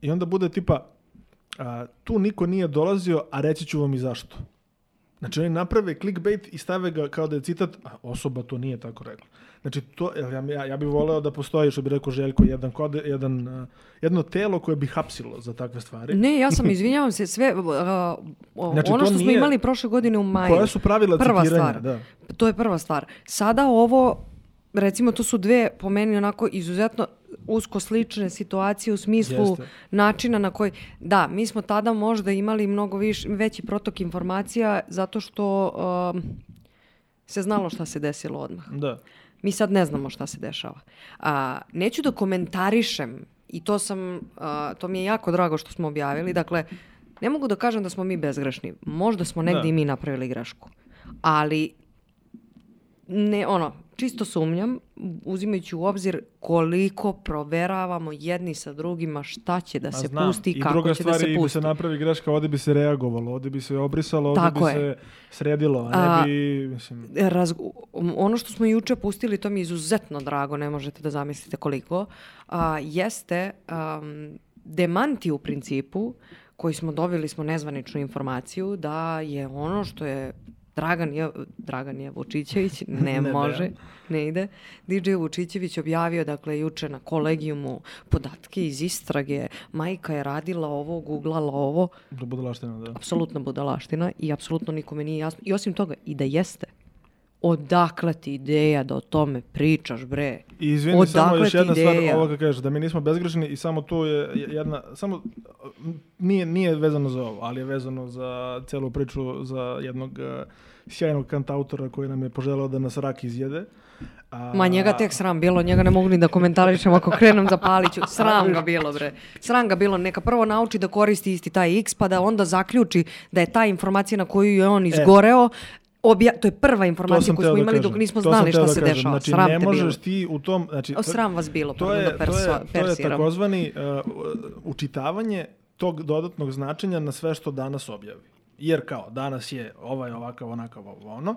[SPEAKER 2] i onda bude tipa tu niko nije dolazio, a reći ću vam i zašto. Znači oni naprave clickbait i stave ga kao da je citat, a osoba to nije tako rekla. Znači to, ja bih voleo da postoji, što bi rekao Željko, jedno telo koje bi hapsilo za takve stvari.
[SPEAKER 1] Ne, ja sam, izvinjavam se, sve, znači, ono što smo imali prošle godine u maju.
[SPEAKER 2] Koja su pravila citiranja? Da.
[SPEAKER 1] To je prva stvar. Sada ovo, recimo, to su dve, po meni, onako izuzetno usko slične situacije u smislu načina na koji... Da, mi smo tada možda imali mnogo veći protok informacija zato što se znalo šta se desilo odmah.
[SPEAKER 2] Da.
[SPEAKER 1] Mi sad ne znamo šta se dešava. Neću da komentarišem i to mi je jako drago što smo objavili. Dakle, ne mogu da kažem da smo mi bezgrešni. Možda smo negdje i mi napravili grešku. Ali čisto sumnjam, uzimajući u obzir koliko proveravamo jedni sa drugima šta će da se pusti i kako će da se pusti. I druga stvar, i bi se
[SPEAKER 2] napravi greška, ovdje bi se reagovalo, ovdje bi se obrisalo, ovdje bi se sredilo, a ne bi... Mislim...
[SPEAKER 1] Ono što smo juče pustili, to mi je izuzetno drago, ne možete da zamislite koliko, jeste demanti u principu, koji smo dobili nezvaničnu informaciju da je ono što je Dragan je Vučićević, ne ide. DJ Vučićević objavio, dakle, juče na kolegijumu podatke iz istrage, majka je radila ovo, googlala ovo.
[SPEAKER 2] Budalaština, da.
[SPEAKER 1] Apsolutno budalaština i apsolutno nikome nije jasno. I osim toga, i da jeste. Odakle ti ideja da o tome pričaš, bre?
[SPEAKER 2] I izvini, samo još jedna stvar ovoga kažeš, da mi nismo bezgrešni i samo tu je jedna, samo nije vezano za ovo, ali je vezano za celu priču za jednog sjajnog kantautora koji nam je poželeo da nas rak izjede.
[SPEAKER 1] Ma njega tek sram bilo, njega ne mogu ni da komentarišem ako krenem za Paliću. Sram ga bilo, bre. Sram ga bilo, neka prvo nauči da koristi isti taj X, pa da onda zaključi da je ta informacija na koju je on izgoreo, to je prva informacija koju smo imali dok nismo znali šta se dešava.
[SPEAKER 2] Znači, sram ne možeš ti u tom... Znači,
[SPEAKER 1] sram vas bilo,
[SPEAKER 2] to je takozvani učitavanje tog dodatnog značenja na sve što danas objavi. Jer kao, danas je ovakav, onakav, ono.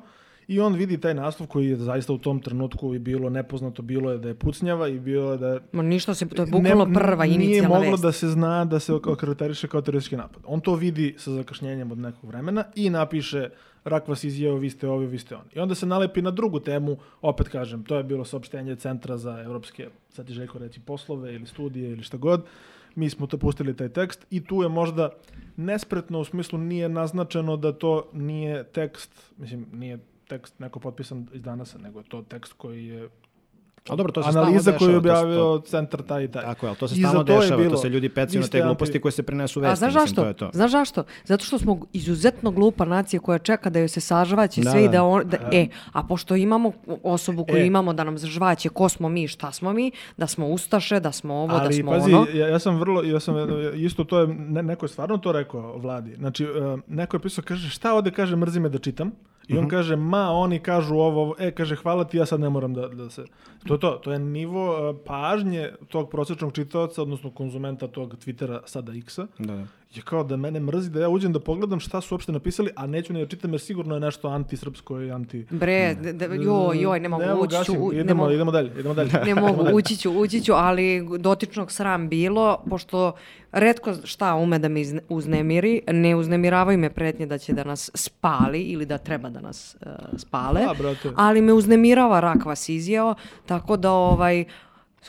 [SPEAKER 2] I on vidi taj naslov koji je zaista u tom trenutku i bilo nepoznato, bilo je da je pucnjava i bilo je da je...
[SPEAKER 1] Ništa se, to je bukvalno prva inicijalna vest.
[SPEAKER 2] Nije moglo da se zna da se okarakteriše kao teroristički napad. On to vidi sa zakašnjenjem od nekog vremena i napiše rak vas izjeo, vi ste ovi, vi ste oni. I onda se nalepi na drugu temu, opet kažem, to je bilo saopštenje Centra za evropske, sad ti Željko reći, poslove ili studije ili šta god. Mi smo to pustili taj tekst i tu je možda nespretno, u smislu nije naznačeno da to nije tekst, mislim, nije tekst neko potpisan iz Danasa, nego je to tekst koji je analiza koju je objavio centar taj i taj.
[SPEAKER 3] Tako je, ali to se stalno dešava, to se ljudi pecaju na te gluposti koje se prenesu vesti.
[SPEAKER 1] A znaš zašto? Znaš zašto? Zato što smo izuzetno glupa nacija koja čeka da joj se sažvaće sve i a pošto imamo osobu koju imamo da nam zažvaće ko smo mi, šta smo mi, da smo ustaše, da smo ovo, da smo ono.
[SPEAKER 2] Ja sam isto to je, neko je stvarno to rekao vladi. Znači, neko je pisao, kaže, šta ovde kaže, mrzi me da čitam. I on kaže, oni kažu ovo, kaže, hvala ti, ja sad ne moram da se... To je nivo pažnje tog prosječnog čitaoca, odnosno konzumenta tog Twittera, sada X-a. Da. Je kao da mene mrzi da ja uđem da pogledam šta su uopšte napisali, a neću ni da čitam jer sigurno je nešto antisrpsko i anti...
[SPEAKER 1] Bre, ne mogu ući ću...
[SPEAKER 2] Idemo dalje.
[SPEAKER 1] Ne mogu, ući ću, ali dotičnog sram bilo, pošto retko šta ume da me uznemiri, ne uznemiravaju me pretnje da će da nas spali ili da treba da nas spale, ali me uznemirava rak vas izjeo, tako da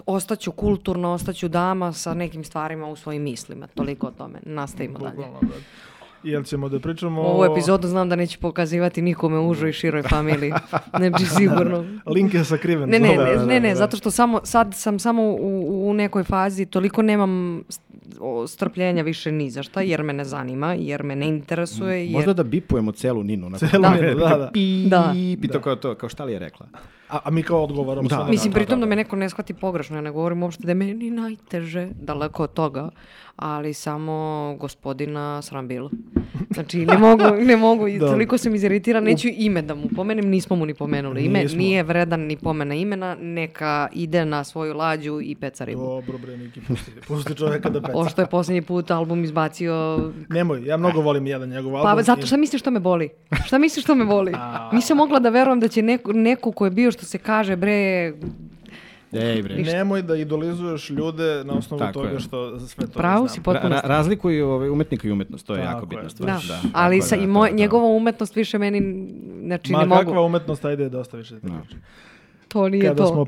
[SPEAKER 1] ostaću kulturno, ostaću dama sa nekim stvarima u svojim mislima. Toliko o tome. Nastavimo dalje.
[SPEAKER 2] Jel ćemo da pričamo...
[SPEAKER 1] Ovu epizodu znam da neću pokazivati nikome u užoj i široj familiji. Znači, sigurno.
[SPEAKER 2] Link je sakriven.
[SPEAKER 1] Ne, zato što sad sam samo u nekoj fazi, toliko nemam strpljenja više ni za šta, jer me ne zanima, jer me ne interesuje.
[SPEAKER 3] Možda da bipujemo celu Ninu.
[SPEAKER 2] Celu Ninu, da.
[SPEAKER 3] I to kao šta li je rekla.
[SPEAKER 2] A mi kao odgovaramo.
[SPEAKER 1] Mislim, pritom da me neko ne shvati pogrešno, ja ne govorim uopšte da je meni najteže, daleko od toga, ali samo gospodina sram bilo. Znači, ne mogu, toliko sam iziritirana, neću ime da mu pomenem, nismo mu ni pomenuli ime, nije vredan ni pomena imena, neka ide na svoju lađu i peca ribu.
[SPEAKER 2] Dobro bre, Niki, pusti čoveka da peca.
[SPEAKER 1] Ovo što je posljednji put album izbacio...
[SPEAKER 2] Nemoj, ja mnogo volim jedan njegov album.
[SPEAKER 1] Pa zato šta misliš što me boli? Šta misliš što me boli? Nisam mogla da verujem da će neko ko je bio, što se kaže, bre...
[SPEAKER 2] Nemoj da idolizuješ ljude na osnovu toga što sve to
[SPEAKER 1] pravo si potpuno.
[SPEAKER 3] Razlikuju umetnika i umetnost, to je jako bitna stvar.
[SPEAKER 1] Da. Ali njegova umetnost više meni ne mogu.
[SPEAKER 2] Ma kakva umetnost, ajde dosta više.
[SPEAKER 1] To nije
[SPEAKER 2] kada
[SPEAKER 1] to,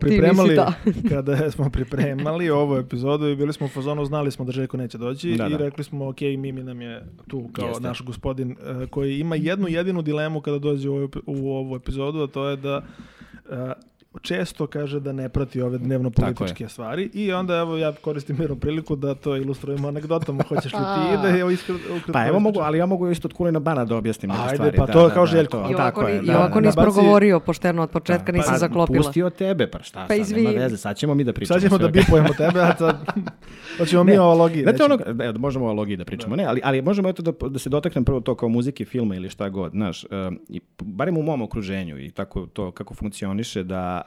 [SPEAKER 2] Kada smo pripremali ovu epizodu i bili smo u fazonu, znali smo da Željko neće doći i rekli smo, ok, Mimi nam je tu kao naš gospodin koji ima jednu jedinu dilemu kada dođe u ovu epizodu, a to je da često kaže da ne prati ove dnevno-političke stvari i onda evo ja koristim mirnu priliku da to ilustrujemo anegdotama. Hoćeš li ti da je
[SPEAKER 3] Pa evo mogu, ali ja mogu isto od Kulina Bana da objasnim neke stvari.
[SPEAKER 2] Ajde, pa to kao Željko.
[SPEAKER 1] I ovako nisi progovorio pošteno od početka, nisam zaklopila.
[SPEAKER 3] Pustio tebe, pa šta sad, nema veze, sad ćemo mi da pričamo.
[SPEAKER 2] Sad ćemo da bipujemo tebe, a sad hoćemo mi o ologiji.
[SPEAKER 3] Možemo o ologiji da pričamo, ne, ali možemo eto da se dotaknem prvo to kao muzike, filma ili šta god, znaš, barem u mom okruženju i tako to kako funkcioniše da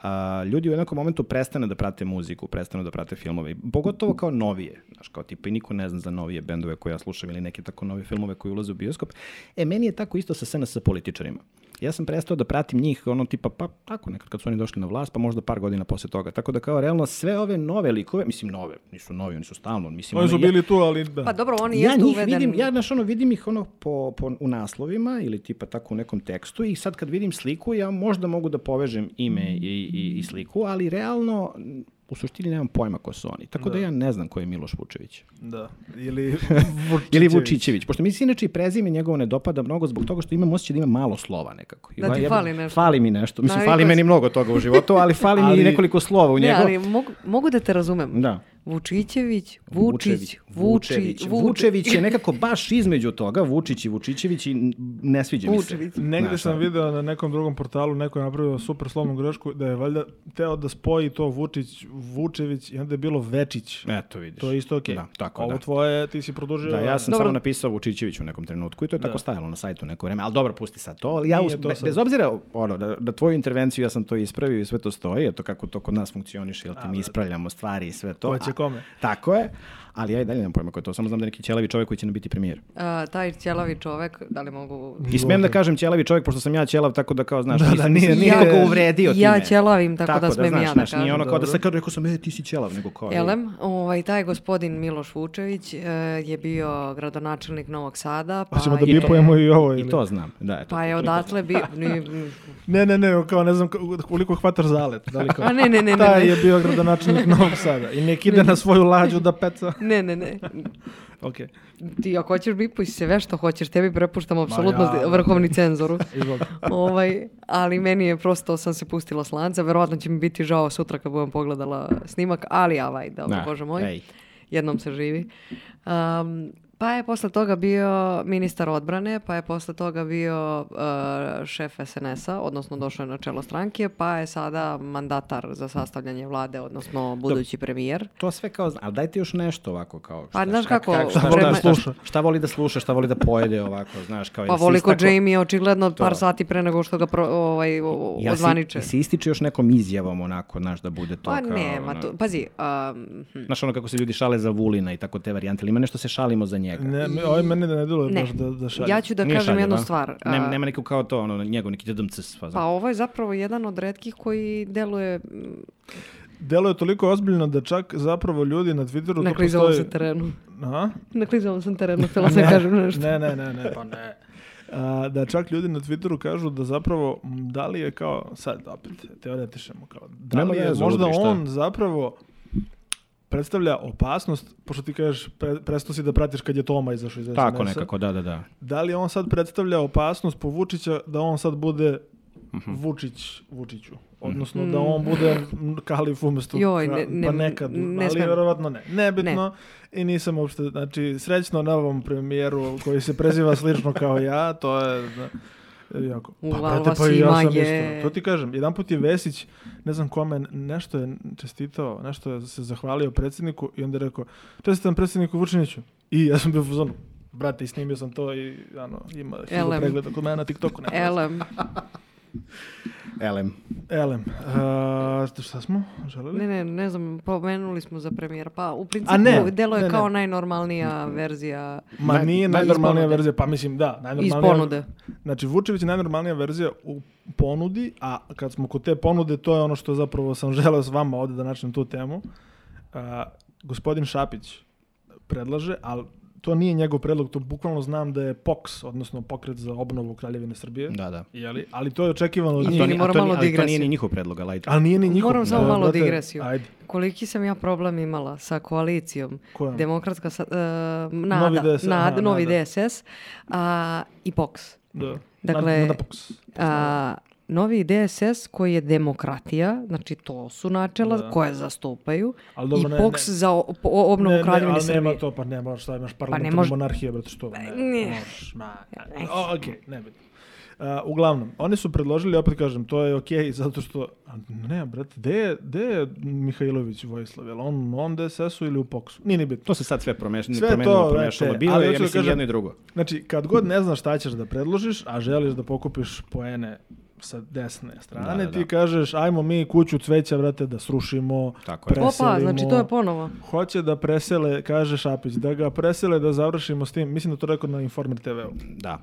[SPEAKER 3] ljudi u jednom momentu prestane da prate muziku, prestanu da prate filmove. Pogotovo kao novije. Znaš, kao tipa i niko ne zna za novije bendove koje ja slušam ili neke tako nove filmove koji ulaze u bioskop. Meni je tako isto sa SNS političarima. Ja sam prestao da pratim njih ono tipa, pa tako nekad kad su oni došli na vlast, pa možda par godina posle toga. Tako da kao realno sve ove nove likove, mislim nove, nisu novi, oni su stalno. Mislim,
[SPEAKER 2] oni su bili tu, ali da.
[SPEAKER 1] Pa dobro, oni jesu uvedeni.
[SPEAKER 3] Vidim ih u naslovima ili tipa tako u nekom tekstu i sad kad vidim sliku, ja možda mogu da povežem ime i sliku, ali realno u suštini nemam pojma ko su oni. Tako da ja ne znam ko je Miloš Vučević.
[SPEAKER 2] Da. Ili
[SPEAKER 3] Vučićević. Pošto mi se inače i prezime njegovo ne dopada mnogo zbog toga što imam osjećaj da ima malo slova nekako.
[SPEAKER 1] Da ti fali nešto.
[SPEAKER 3] Fali mi nešto. Mislim, fali meni mnogo toga u životu, ali fali mi i nekoliko slova u njegu.
[SPEAKER 1] Ali mogu da te razumem.
[SPEAKER 3] Da.
[SPEAKER 1] Vučićević,
[SPEAKER 3] Vučević je nekako baš između toga, Vučić i Vučićević i ne sviđa mi se.
[SPEAKER 2] Negde sam video na nekom drugom portalu, neko je napravio super slovnu grešku, da je valjda teo da spoji to Vučević i onda je bilo Večić.
[SPEAKER 3] Eto vidiš.
[SPEAKER 2] To je isto okej. Ovo tvoje, ti si produžio.
[SPEAKER 3] Da, ja sam samo napisao Vučićević u nekom trenutku i to je tako stajalo na sajtu neko vreme, ali dobro, pusti sad to. Ali ja bez obzira da tvoju intervenciju ja sam to ispravio i sve to stoji, eto kako to kod nas funkcioniše, jel ti mi ispravljamo stvari i sve to.
[SPEAKER 2] Kome?
[SPEAKER 3] Tako je, ali ja i dalje nemam pojma ko je to, samo znam da je neki ćelavi čovjek koji će nam biti premijer.
[SPEAKER 1] Taj ćelavi čovjek, da li mogu...
[SPEAKER 3] I smijem da kažem ćelavi čovjek, pošto sam ja ćelav, tako da kao, znaš, nije ga uvredio time.
[SPEAKER 1] Ja ćelavim, tako da smijem ja da kažem.
[SPEAKER 3] Nije ono kao da se kao rekao sam, ti si ćelav, nego kao...
[SPEAKER 1] Taj gospodin Miloš Vučević je bio gradonačelnik Novog Sada.
[SPEAKER 2] Pa ćemo da bipujemo i ovo.
[SPEAKER 3] I to znam, da.
[SPEAKER 1] Pa je odatle bio...
[SPEAKER 2] Ne, kao ne znam koliko hvataš zalet.
[SPEAKER 1] Ne.
[SPEAKER 2] Taj je bio gradonačelnik Novog Sada i nek ide na svoju lađu da peca.
[SPEAKER 1] Ne.
[SPEAKER 2] Okay.
[SPEAKER 1] Ti ako hoćeš bipuj sve što hoćeš, tebi prepuštam apsolutno vrhovni cenzoru. Ali meni je prosto, sam se pustila s lanca, verovatno će mi biti žao sutra kad budem pogledala snimak, ali dobro, Bože moj, jednom se živi. Pa je posle toga bio ministar odbrane, pa je posle toga bio šef SNS-a, odnosno došao je na čelo stranke, pa je sada mandatar za sastavljanje vlade, odnosno budući premijer.
[SPEAKER 3] To sve kao, ali dajte još nešto ovako kao...
[SPEAKER 1] Pa znaš kako...
[SPEAKER 3] Šta voli da sluša, šta voli da pojede ovako, znaš kao...
[SPEAKER 1] Pa voli kod Jamie, očigledno par sati pre nego što ga ozvaniče.
[SPEAKER 3] I se ističe još nekom izjavom onako, znaš, da bude to kao...
[SPEAKER 1] Pa nema, pazi...
[SPEAKER 3] Znaš ono kako se ljudi šale za Vulina i tako te varijante, ali ima nešto se šalimo za njega.
[SPEAKER 2] Ovo mene ne delo baš da šalje.
[SPEAKER 1] Ja ću da kažem jednu stvar.
[SPEAKER 3] Nema neko kao to, njegov neki dedamces.
[SPEAKER 1] Pa ovo je zapravo jedan od retkih koji deluje
[SPEAKER 2] toliko ozbiljno da čak zapravo ljudi na Twitteru...
[SPEAKER 1] Naklizavom se terenu.
[SPEAKER 2] Aha?
[SPEAKER 1] Naklizavom sam terenu, htjela sam kažem nešto.
[SPEAKER 2] Ne, pa ne. Da čak ljudi na Twitteru kažu da zapravo, da li je kao, sad opet teoretišemo, kao, da li je možda on zapravo predstavlja opasnost, pošto ti kažeš prestao si da pratiš kad je Toma izašao iz SNS-a.
[SPEAKER 3] Tako nekako, da.
[SPEAKER 2] Da li on sad predstavlja opasnost po Vučića da on sad bude Vučiću? odnosno da on bude kalif umesto pa nekad, ali vjerovatno ne. Nebitno i nisam uopšte, znači srećno novom premijeru koji se preziva slično kao ja, to je... Jako. Pa ja sam isto. To ti kažem, jedan put je Vesić, ne znam kome, nešto je čestitao, nešto je se zahvalio predsjedniku i onda je rekao, čestitam predsjedniku Vučiniću. I ja sam bio u fazonu, brate, i snimio sam to i ima 1000 pregleda kod mene na TikToku. Elem. Šta smo želeli?
[SPEAKER 1] Ne znam, pomenuli smo za premijera. Pa u principu delo je kao najnormalnija verzija.
[SPEAKER 2] Ma nije najnormalnija verzija, pa mislim da.
[SPEAKER 1] Iz ponude.
[SPEAKER 2] Znači Vučević je najnormalnija verzija u ponudi, a kad smo kod te ponude, to je ono što zapravo sam želeo s vama ovdje da načnem tu temu. Gospodin Šapić predlaže, ali to nije njegov predlog, to bukvalno znam da je POKS, odnosno Pokret za obnovu Kraljevine Srbije.
[SPEAKER 3] Da.
[SPEAKER 2] Ali to je očekivano od njih.
[SPEAKER 3] Ali to nije ni njihov predlog,
[SPEAKER 2] ali nije ni njihov.
[SPEAKER 1] Moram samo malo digresiju. Koliki sam ja problem imala sa koalicijom Demokratska Novi DSS i POKS. Dakle, Novi DSS koji je demokratija, znači to su načela koje zastupaju i POKS za obnovu Kraljevine Srbije.
[SPEAKER 2] Ali nema to, pa nema šta imaš parlamentarnu monarhiju, brate, što? Ne bi. Uglavnom, oni su predložili, opet kažem, to je okej, zato što, ne, brate, gde je Mihajlović Vojislav? Je li on DSS-u ili u POKS-u? Nije ni bitno.
[SPEAKER 3] To se sad sve promešalo. Bilo je, ja mislim, jedno i drugo.
[SPEAKER 2] Znači, kad god ne znaš šta ćeš da predložiš, a želiš da pokupiš poene sa desne strane, ti kažeš, ajmo mi kuću cveća, vrate, da srušimo, preselimo.
[SPEAKER 1] Opa, znači to je ponovo.
[SPEAKER 2] Hoće da presele, kaže Šapić, da ga presele, da završimo s tim, mislim da to rekao na Informer TV-u.
[SPEAKER 3] Da.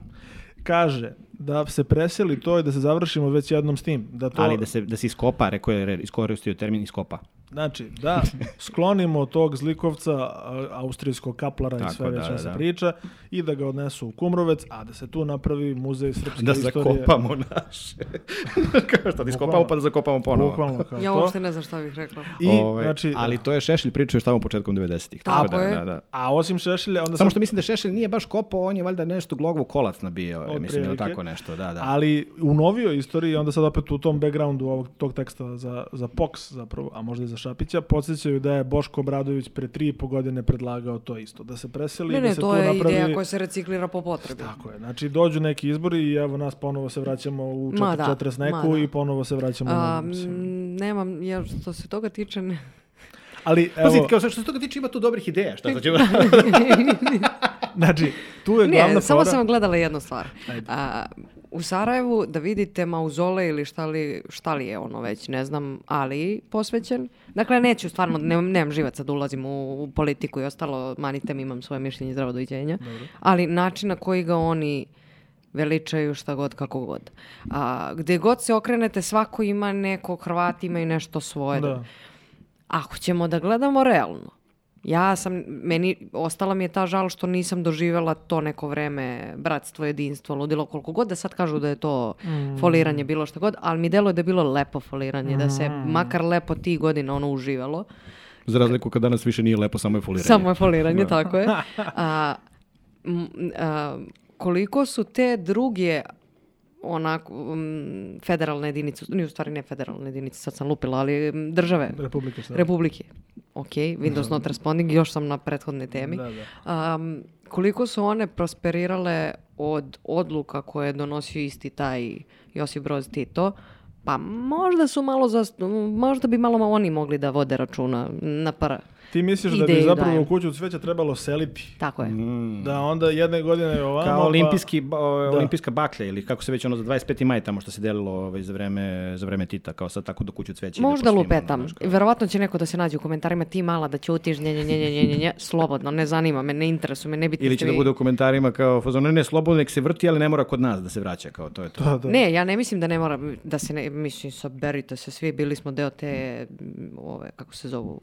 [SPEAKER 2] Kaže da se preseli to i da se završimo već jednom s tim.
[SPEAKER 3] Ali da se iskopa, rekao je, iskoristio termin iskopa.
[SPEAKER 2] Znači, da sklonimo tog zlikovca austrijskog kaplara i sve već se priča i da ga odnesu u Kumrovec, a da se tu napravi muzej srpske istorije.
[SPEAKER 3] Da zakopamo naše. Kao što da iskopamo pa da zakopamo ponovo.
[SPEAKER 2] Bukvalno kao
[SPEAKER 1] ja uopšte ne znam šta bih rekla.
[SPEAKER 3] Ali to je Šešelj pričao još tamo početkom 90-ih.
[SPEAKER 1] Tako je.
[SPEAKER 2] A osim Šešelja...
[SPEAKER 3] Samo što mislim da Šešelj nije baš kopao, on je valjda nešto Glogov kolac nabio. Mislim ili tako nešto. Da.
[SPEAKER 2] Ali u novijoj istoriji, onda sad opet u tom backgroundu tog teksta za POKS zapravo, a možda i za Šapića, podsjećaju da je Boško Obradović pre 3,5 godine predlagao to isto. Da se preseli, da se tu napravi...
[SPEAKER 1] Ne, to je ideja koja se reciklira po potrebi.
[SPEAKER 2] Tako je. Znači, dođu neki izbori i evo nas ponovo se vraćamo u 40 neku i ponovo se vraćamo na...
[SPEAKER 1] Nemam, ja što se toga tiče...
[SPEAKER 2] Ali,
[SPEAKER 3] evo... Kao što se toga tiče ima tu dobrih ideja. Šta ćemo...
[SPEAKER 2] Znači, tu je glavna fora...
[SPEAKER 1] Samo sam gledala jednu stvar. U Sarajevu da vidite mauzole ili šta li je ono već, ne znam, ali posvećen. Dakle, neću stvarno, nemam živaca da ulazim u politiku i ostalo, manite mi, imam svoje mišljenje i zdravo doviđenja. Ali način na koji ga oni veličaju šta god, kako god. Gde god se okrenete, svako ima neko, Hrvati imaju nešto svoje. Da. Ako ćemo da gledamo realno, ostala mi je ta žal što nisam doživjela to neko vreme, bratstvo, jedinstvo, ludilo, koliko god da sad kažu da je to foliranje, bilo što god, ali mi deluje da je bilo lepo foliranje, da se makar lepo tih godina ono uživalo.
[SPEAKER 3] Za razliku kad danas više nije lepo, samo je foliranje.
[SPEAKER 1] Samo je foliranje, tako je. Koliko su te druge onako federalne jedinice, u stvari ne federalne jedinice, sad sam lupila, ali države. Republike. Ok, Windows not responding, još sam na prethodnoj temi. Koliko su one prosperirale od odluka koje je donosio isti taj Josip Broz Tito, pa možda bi malo oni mogli da vode računa na
[SPEAKER 2] Ti misliš da bi zapravo u kuću cveća trebalo seliti?
[SPEAKER 1] Tako je.
[SPEAKER 2] Da onda jedne godine je ovamo...
[SPEAKER 3] Kao olimpijska baklja ili kako se već ono za 25. maj tamo što se delilo za vreme Tita, kao sad tako do kuću cveća.
[SPEAKER 1] Možda lupetam. Verovatno će neko da se nađe u komentarima, ti mala da ćutiš, slobodno, ne zanima me, ne interesuje me, ne biti...
[SPEAKER 3] Ili će da bude u komentarima kao, ne, slobodno nek se vrti, ali ne mora kod nas da se vraća, kao to je to.
[SPEAKER 2] Da.
[SPEAKER 1] Ne, ja ne mislim da ne mora, da se mislim, saberite se svi, bili smo deo te, kako se zovu,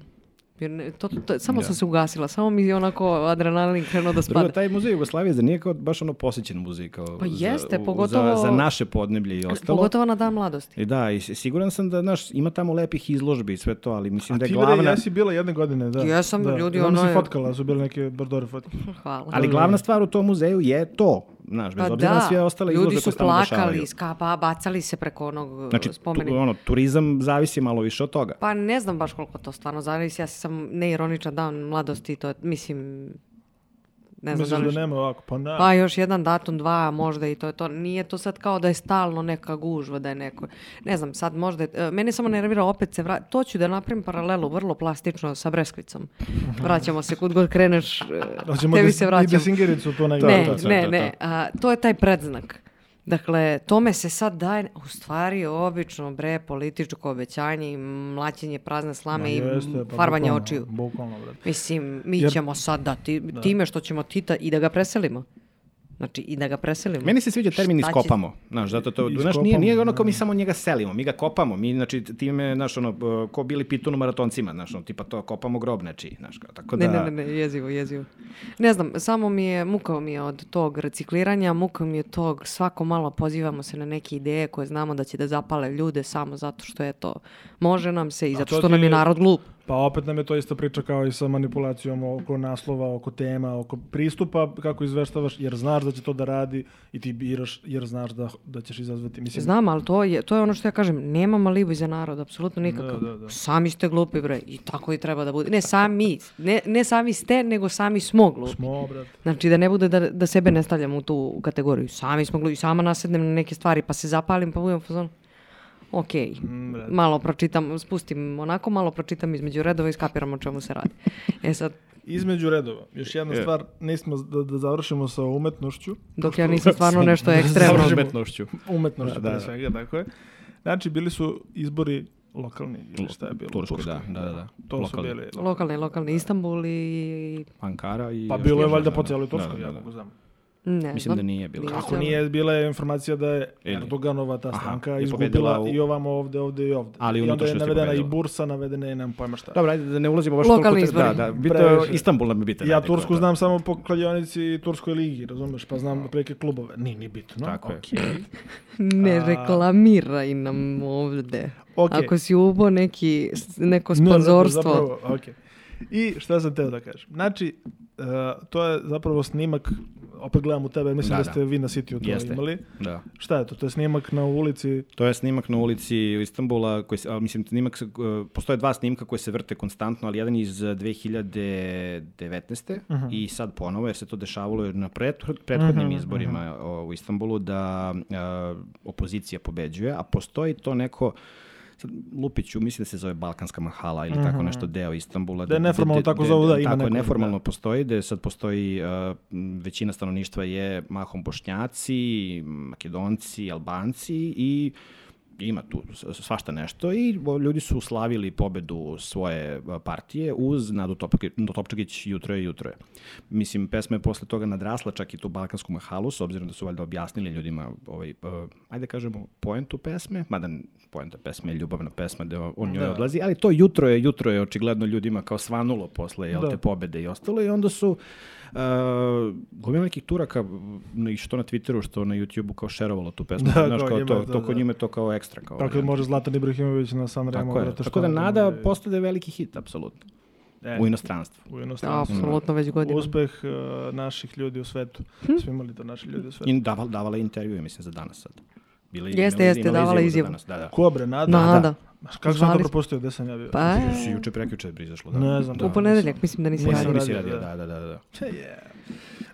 [SPEAKER 1] samo sam se ugasila, samo mi onako adrenalin krenuo da spada.
[SPEAKER 3] Drugo, taj muzej Jugoslavije za nije kao baš ono posjećen muzej. Kao
[SPEAKER 1] pa jeste, pogotovo...
[SPEAKER 3] Za naše podneblje i ostalo.
[SPEAKER 1] Pogotovo na Dan mladosti.
[SPEAKER 3] I da, i siguran sam da ima tamo lepih izložbi i sve to, ali mislim da je glavna...
[SPEAKER 2] A ti jesi bila jedne godine, da.
[SPEAKER 1] Jesam, ljudi
[SPEAKER 2] ono... si fotkala, su bile neke bordore fotke.
[SPEAKER 1] Hvala.
[SPEAKER 3] Ali glavna stvar u tom muzeju je to. znaš, bez obzira na sve ostale izložbe koje se tamo dešavaju.
[SPEAKER 1] Ljudi su plakali, bacali se preko onog spomenika.
[SPEAKER 3] Znači, turizam zavisi malo više od toga.
[SPEAKER 1] Pa ne znam baš koliko to stvarno zavisi, ja sam neironičan dan mladosti, to mislim... Ne znam
[SPEAKER 2] mislim da nema ovako,
[SPEAKER 1] pa još jedan datum, 2 možda i to je to. Nije to sad kao da je stalno neka gužva, da je neko... Ne znam, sad možda... Mene samo nervira, opet se to ću da napravim paralelu, vrlo plastično sa Breskvicom. Vraćamo se, kud god kreneš, tebi se vraćam.
[SPEAKER 2] I Desingericu to
[SPEAKER 1] ne. To je taj predznak. Dakle, tome se sad daje, u stvari, obično, političko obećanje i mlaćenje prazne slame i farbanje očiju. Mislim, mi ćemo sad time što ćemo Tita i da ga preselimo. Znači, i da ga preselimo.
[SPEAKER 3] Meni se sviđa termin iskopamo. Znaš, zato to, znaš, nije ono kao mi samo njega selimo, mi ga kopamo. Mi, znači, time, znaš, ono, ko bili pitunu maratoncima, znaš, ono, tipa to, kopamo grob nečiji, znaš, tako da...
[SPEAKER 1] Ne, jezivo. Ne znam, samo muka mi je od tog recikliranja, muka mi je tog, svako malo pozivamo se na neke ideje koje znamo da će da zapale ljude samo zato što je to, može nam se i zato što nam je narod glup.
[SPEAKER 2] Pa opet nam je to ista priča kao i sa manipulacijom oko naslova, oko tema, oko pristupa, kako izveštavaš, jer znaš da će to da radi i ti biraš jer znaš da ćeš izazvati. Mislim...
[SPEAKER 1] Znam, ali to je ono što ja kažem, nemam alibi za narod, apsolutno nikakav. Da. Sami ste glupi, bre, i tako i treba da bude. Ne sami ste, nego sami smo glupi.
[SPEAKER 2] Brat.
[SPEAKER 1] Znači da ne bude da sebe ne stavljamo u tu kategoriju. Sami smo glupi, sama nasednem na neke stvari, pa se zapalim, pa budem u fazonu. Ok, malo pročitam, spustim onako, malo pročitam između redova i skapiram o čemu se radi. Sad...
[SPEAKER 2] Između redova, još jedna stvar, nismo da završimo sa umetnošću.
[SPEAKER 1] Dok ja nisam stvarno nešto ekstremno.
[SPEAKER 2] Umetnošću, pre svega, tako je. Znači, bili su izbori lokalni, ili šta je bilo?
[SPEAKER 3] Turskoj, da.
[SPEAKER 2] To su bili
[SPEAKER 1] lokalni, Istanbul i...
[SPEAKER 3] Ankara i...
[SPEAKER 2] Pa bilo je valjda po cijeloj Turskoj, ja mogu znam.
[SPEAKER 3] Mislim da nije bilo.
[SPEAKER 2] Kako nije, bila je informacija da je Erdoganova ta stranka izgubila i ovamo ovde i ovde.
[SPEAKER 3] Ali
[SPEAKER 2] i onda je navedena i Bursa, navedena je, nemam pojma šta.
[SPEAKER 3] Dobro, ajde da ne ulazimo baš
[SPEAKER 1] lokalni izbori.
[SPEAKER 3] Istanbul nam je bitan.
[SPEAKER 2] Ja Tursku znam samo po kladionici i Turskoj ligi, razumeš, pa znam preke klubove. Nije bitno.
[SPEAKER 3] Tako je.
[SPEAKER 1] Ne reklamiraj nam ovde. Ako si ubo neko sponzorstvo.
[SPEAKER 2] I šta sam teo da kažem? Znači, to je zapravo snimak, opet gledam u tebe, mislim da ste vi na Sitiju to imali.
[SPEAKER 3] Da.
[SPEAKER 2] Šta je to? To je snimak na ulici?
[SPEAKER 3] To je snimak na ulici Istanbula, postoje 2 snimka koje se vrte konstantno, ali jedan iz 2019. I sad ponovo, jer se to dešavalo na prethodnim izborima u Istanbulu, da opozicija pobeđuje, a postoji to neko... Lupiću, mislim da se zove Balkanska mahala ili tako nešto, deo Istanbula.
[SPEAKER 2] Da je neformalno tako zovu, da ima neko.
[SPEAKER 3] Tako je, neformalno postoji, da sad postoji, većina stanovništva je mahom Bošnjaci, Makedonci, Albanci i ima tu svašta nešto i ljudi su slavili pobedu svoje partije uz Nadu Topčagić Jutro je. Mislim, pesma je posle toga nadrasla čak i tu Balkansku mahalu, s obzirom da su valjda objasnili ljudima, ajde kažemo, poentu pesme, mada poenta pesme je ljubavna pesma da on njoj odlazi, ali to jutro je očigledno ljudima kao svanulo posle te pobede i ostalo i onda su gomila nekih Turaka, što na Twitteru, što na YouTubeu kao šerovalo tu pesmu. Znaš, to kod njima je to kao ekstra.
[SPEAKER 2] Tako može Zlatan Ibrahimović na San Remo.
[SPEAKER 3] Tako da Nada postade veliki hit, apsolutno. U inostranstvu.
[SPEAKER 1] Apsolutno već godina.
[SPEAKER 2] Uspeh naših ljudi u svetu. Svi imali to naši ljudi u svetu.
[SPEAKER 3] I davala intervjue, mislim, za danas sad.
[SPEAKER 1] Jeste, davala izjavu.
[SPEAKER 2] Ko bre, Nada? Kako sam to propustio, gde sam ja bio?
[SPEAKER 1] Pa
[SPEAKER 3] si juče prekjuče brizašlo.
[SPEAKER 2] Ne znam.
[SPEAKER 1] U ponedeljak, mislim da nisi radio.
[SPEAKER 3] Da.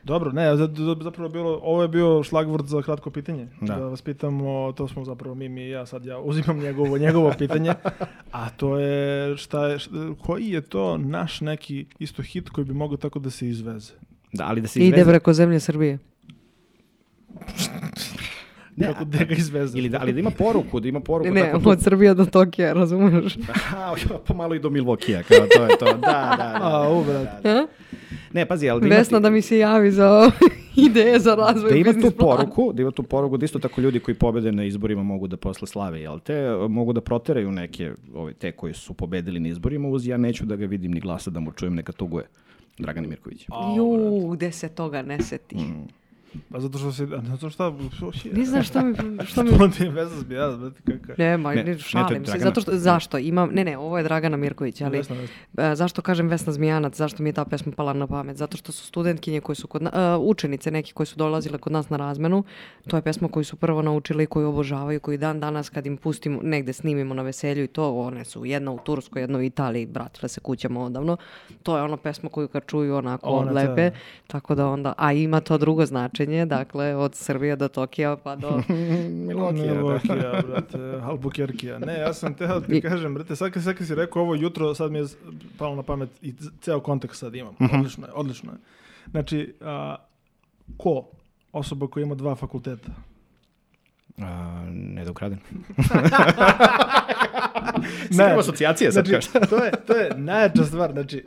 [SPEAKER 2] Dobro, zapravo ovo je bio šlagvort za kratko pitanje. Da vas pitamo, to smo zapravo mi i ja, sad ja uzimam njegovo pitanje, a to je koji je to naš neki isto hit koji bi mogao tako da se izveze?
[SPEAKER 3] Da, ali da se izveze.
[SPEAKER 1] Ide preko zemlje Srbije.
[SPEAKER 2] Kako da ga izveze.
[SPEAKER 3] Ali da ima poruku,
[SPEAKER 1] Ne, od Srbije do Tokija, razumeš?
[SPEAKER 3] Pa malo i do Milvokija, kao to je to. Da.
[SPEAKER 2] Brate.
[SPEAKER 3] Ne, pazi, ali
[SPEAKER 1] Vesna da mi se javi za ideje za razvoj biznis plana.
[SPEAKER 3] Da ima tu poruku, da isto tako ljudi koji pobede na izborima mogu da posle slave, jel te? Mogu da proteraju neke, te koji su pobedili na izborima, uz ja neću da ga vidim ni glasa, da mu čujem, neka tuguje. Dragana Mirković.
[SPEAKER 1] Gde se toga ne seti.
[SPEAKER 2] Pa zato što se... Zato šta...
[SPEAKER 1] Ne znam što mi...
[SPEAKER 2] Što ti je veza zbijala, brate, kakva?
[SPEAKER 1] Ne, šalim se. Zato što, zašto? Imam, ne, ovo je Dragana Mirković, ali zašto kažem Vesna Zmijanac, zašto mi je ta pesma pala na pamet? Zato što su studentkinje koje su učenice neki koji su dolazile kod nas na razmenu, to je pesma koju su prvo naučili i koju obožavaju, koju dan danas kad im pustimo, negde snimimo na veselju i to, one su jedna u Turskoj, jedna u Italiji, vratile se kućama odavno. To je ona pesma koju kad čuju onako lepe, tako da onda, a ima to drugo značenje, dakle, od Srbije do Tokija pa do
[SPEAKER 2] Milokija, brate, Albuquerqueja. Ne, ja sam teo ti kažem, brate, sad kad si rekao ovo jutro, sad mi je palo na pamet i ceo kontekst sad imam. Odlično je. Znači, ko? Osoba koja ima 2 fakulteta?
[SPEAKER 3] Ne da ukraden.
[SPEAKER 2] Ne,
[SPEAKER 3] asocijacije sad
[SPEAKER 2] kažeš. To je najjača stvar. Znači,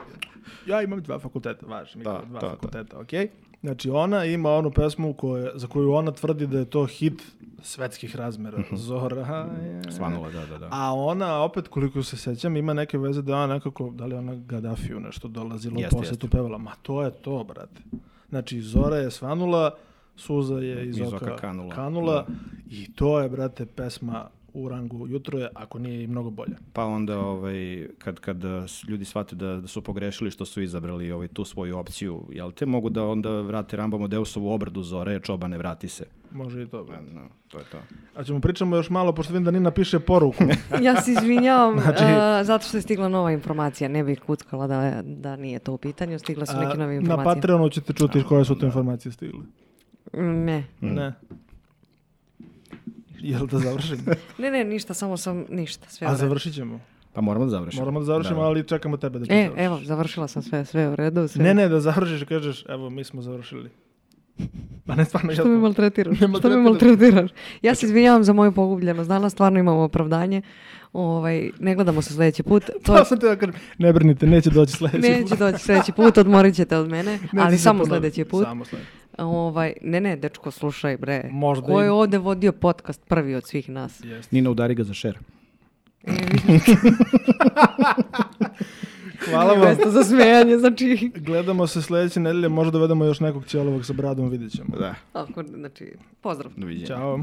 [SPEAKER 2] ja imam 2 fakulteta, važno. 2 fakulteta, okej? Znači, ona ima onu pesmu za koju ona tvrdi da je to hit svetskih razmera. Zora je...
[SPEAKER 3] Svanula, da.
[SPEAKER 2] A ona, opet, koliko se sećam, ima neke veze da ona nekako, da li ona Gaddafiju nešto dolazila u posjetu pevala. Ma to je to, brate. Znači, Zora je svanula, suza je iz oka kanula i to je, brate, pesma u rangu Jutro je, ako nije i mnogo bolja.
[SPEAKER 3] Pa onda kad ljudi shvate da su pogrešili što su izabrali tu svoju opciju, jel te mogu da onda vrate Rambamo Deusovu obradu Zore, čobane, vrati se.
[SPEAKER 2] Može i to.
[SPEAKER 3] No, to je to.
[SPEAKER 2] A ćemo pričamo još malo, pošto vidim da Nina piše poruku.
[SPEAKER 1] Ja se izvinjavam, zato što je stigla nova informacija. Ne bih kuckala da nije to u pitanju. Stigla su neke nove informacije.
[SPEAKER 2] Na Patreonu ćete čuti koje su te informacije stigle.
[SPEAKER 1] Ne.
[SPEAKER 2] Jel da završim?
[SPEAKER 1] Ne, ništa, samo sam ništa. Sve
[SPEAKER 2] a završit ćemo?
[SPEAKER 3] Pa moramo da završimo.
[SPEAKER 2] Ali čekamo tebe da završiš.
[SPEAKER 1] Evo, završila sam sve u redu.
[SPEAKER 2] Sve. Ne, da završiš i kažeš, evo, mi smo završili. Pa ne, stvarno,
[SPEAKER 1] Što me maltretiraš? Ja se izvinjavam za moju pogubljenost. Danas stvarno imamo opravdanje. Ne gledamo se sljedeći put.
[SPEAKER 2] To sam te da kažem, ne brinite, neće doći
[SPEAKER 1] sljedeći put, odmorit ćete od mene, ali samo sljedeći put.
[SPEAKER 2] Samo sljedeći.
[SPEAKER 1] Ne, dečko, slušaj, bre.
[SPEAKER 2] Možda
[SPEAKER 1] ko je ovdje vodio podcast prvi od svih nas?
[SPEAKER 3] Nina, udari ga za share.
[SPEAKER 2] Hvala vam.
[SPEAKER 1] Mjesto za smejanje, znači...
[SPEAKER 2] Gledamo se sljedeće nedelje, možda dovedemo još nekog ćelovog sa bradom, vidjet ćemo.
[SPEAKER 3] Da.
[SPEAKER 1] Znači, pozdrav.
[SPEAKER 3] Doviđenja.
[SPEAKER 2] Ćao.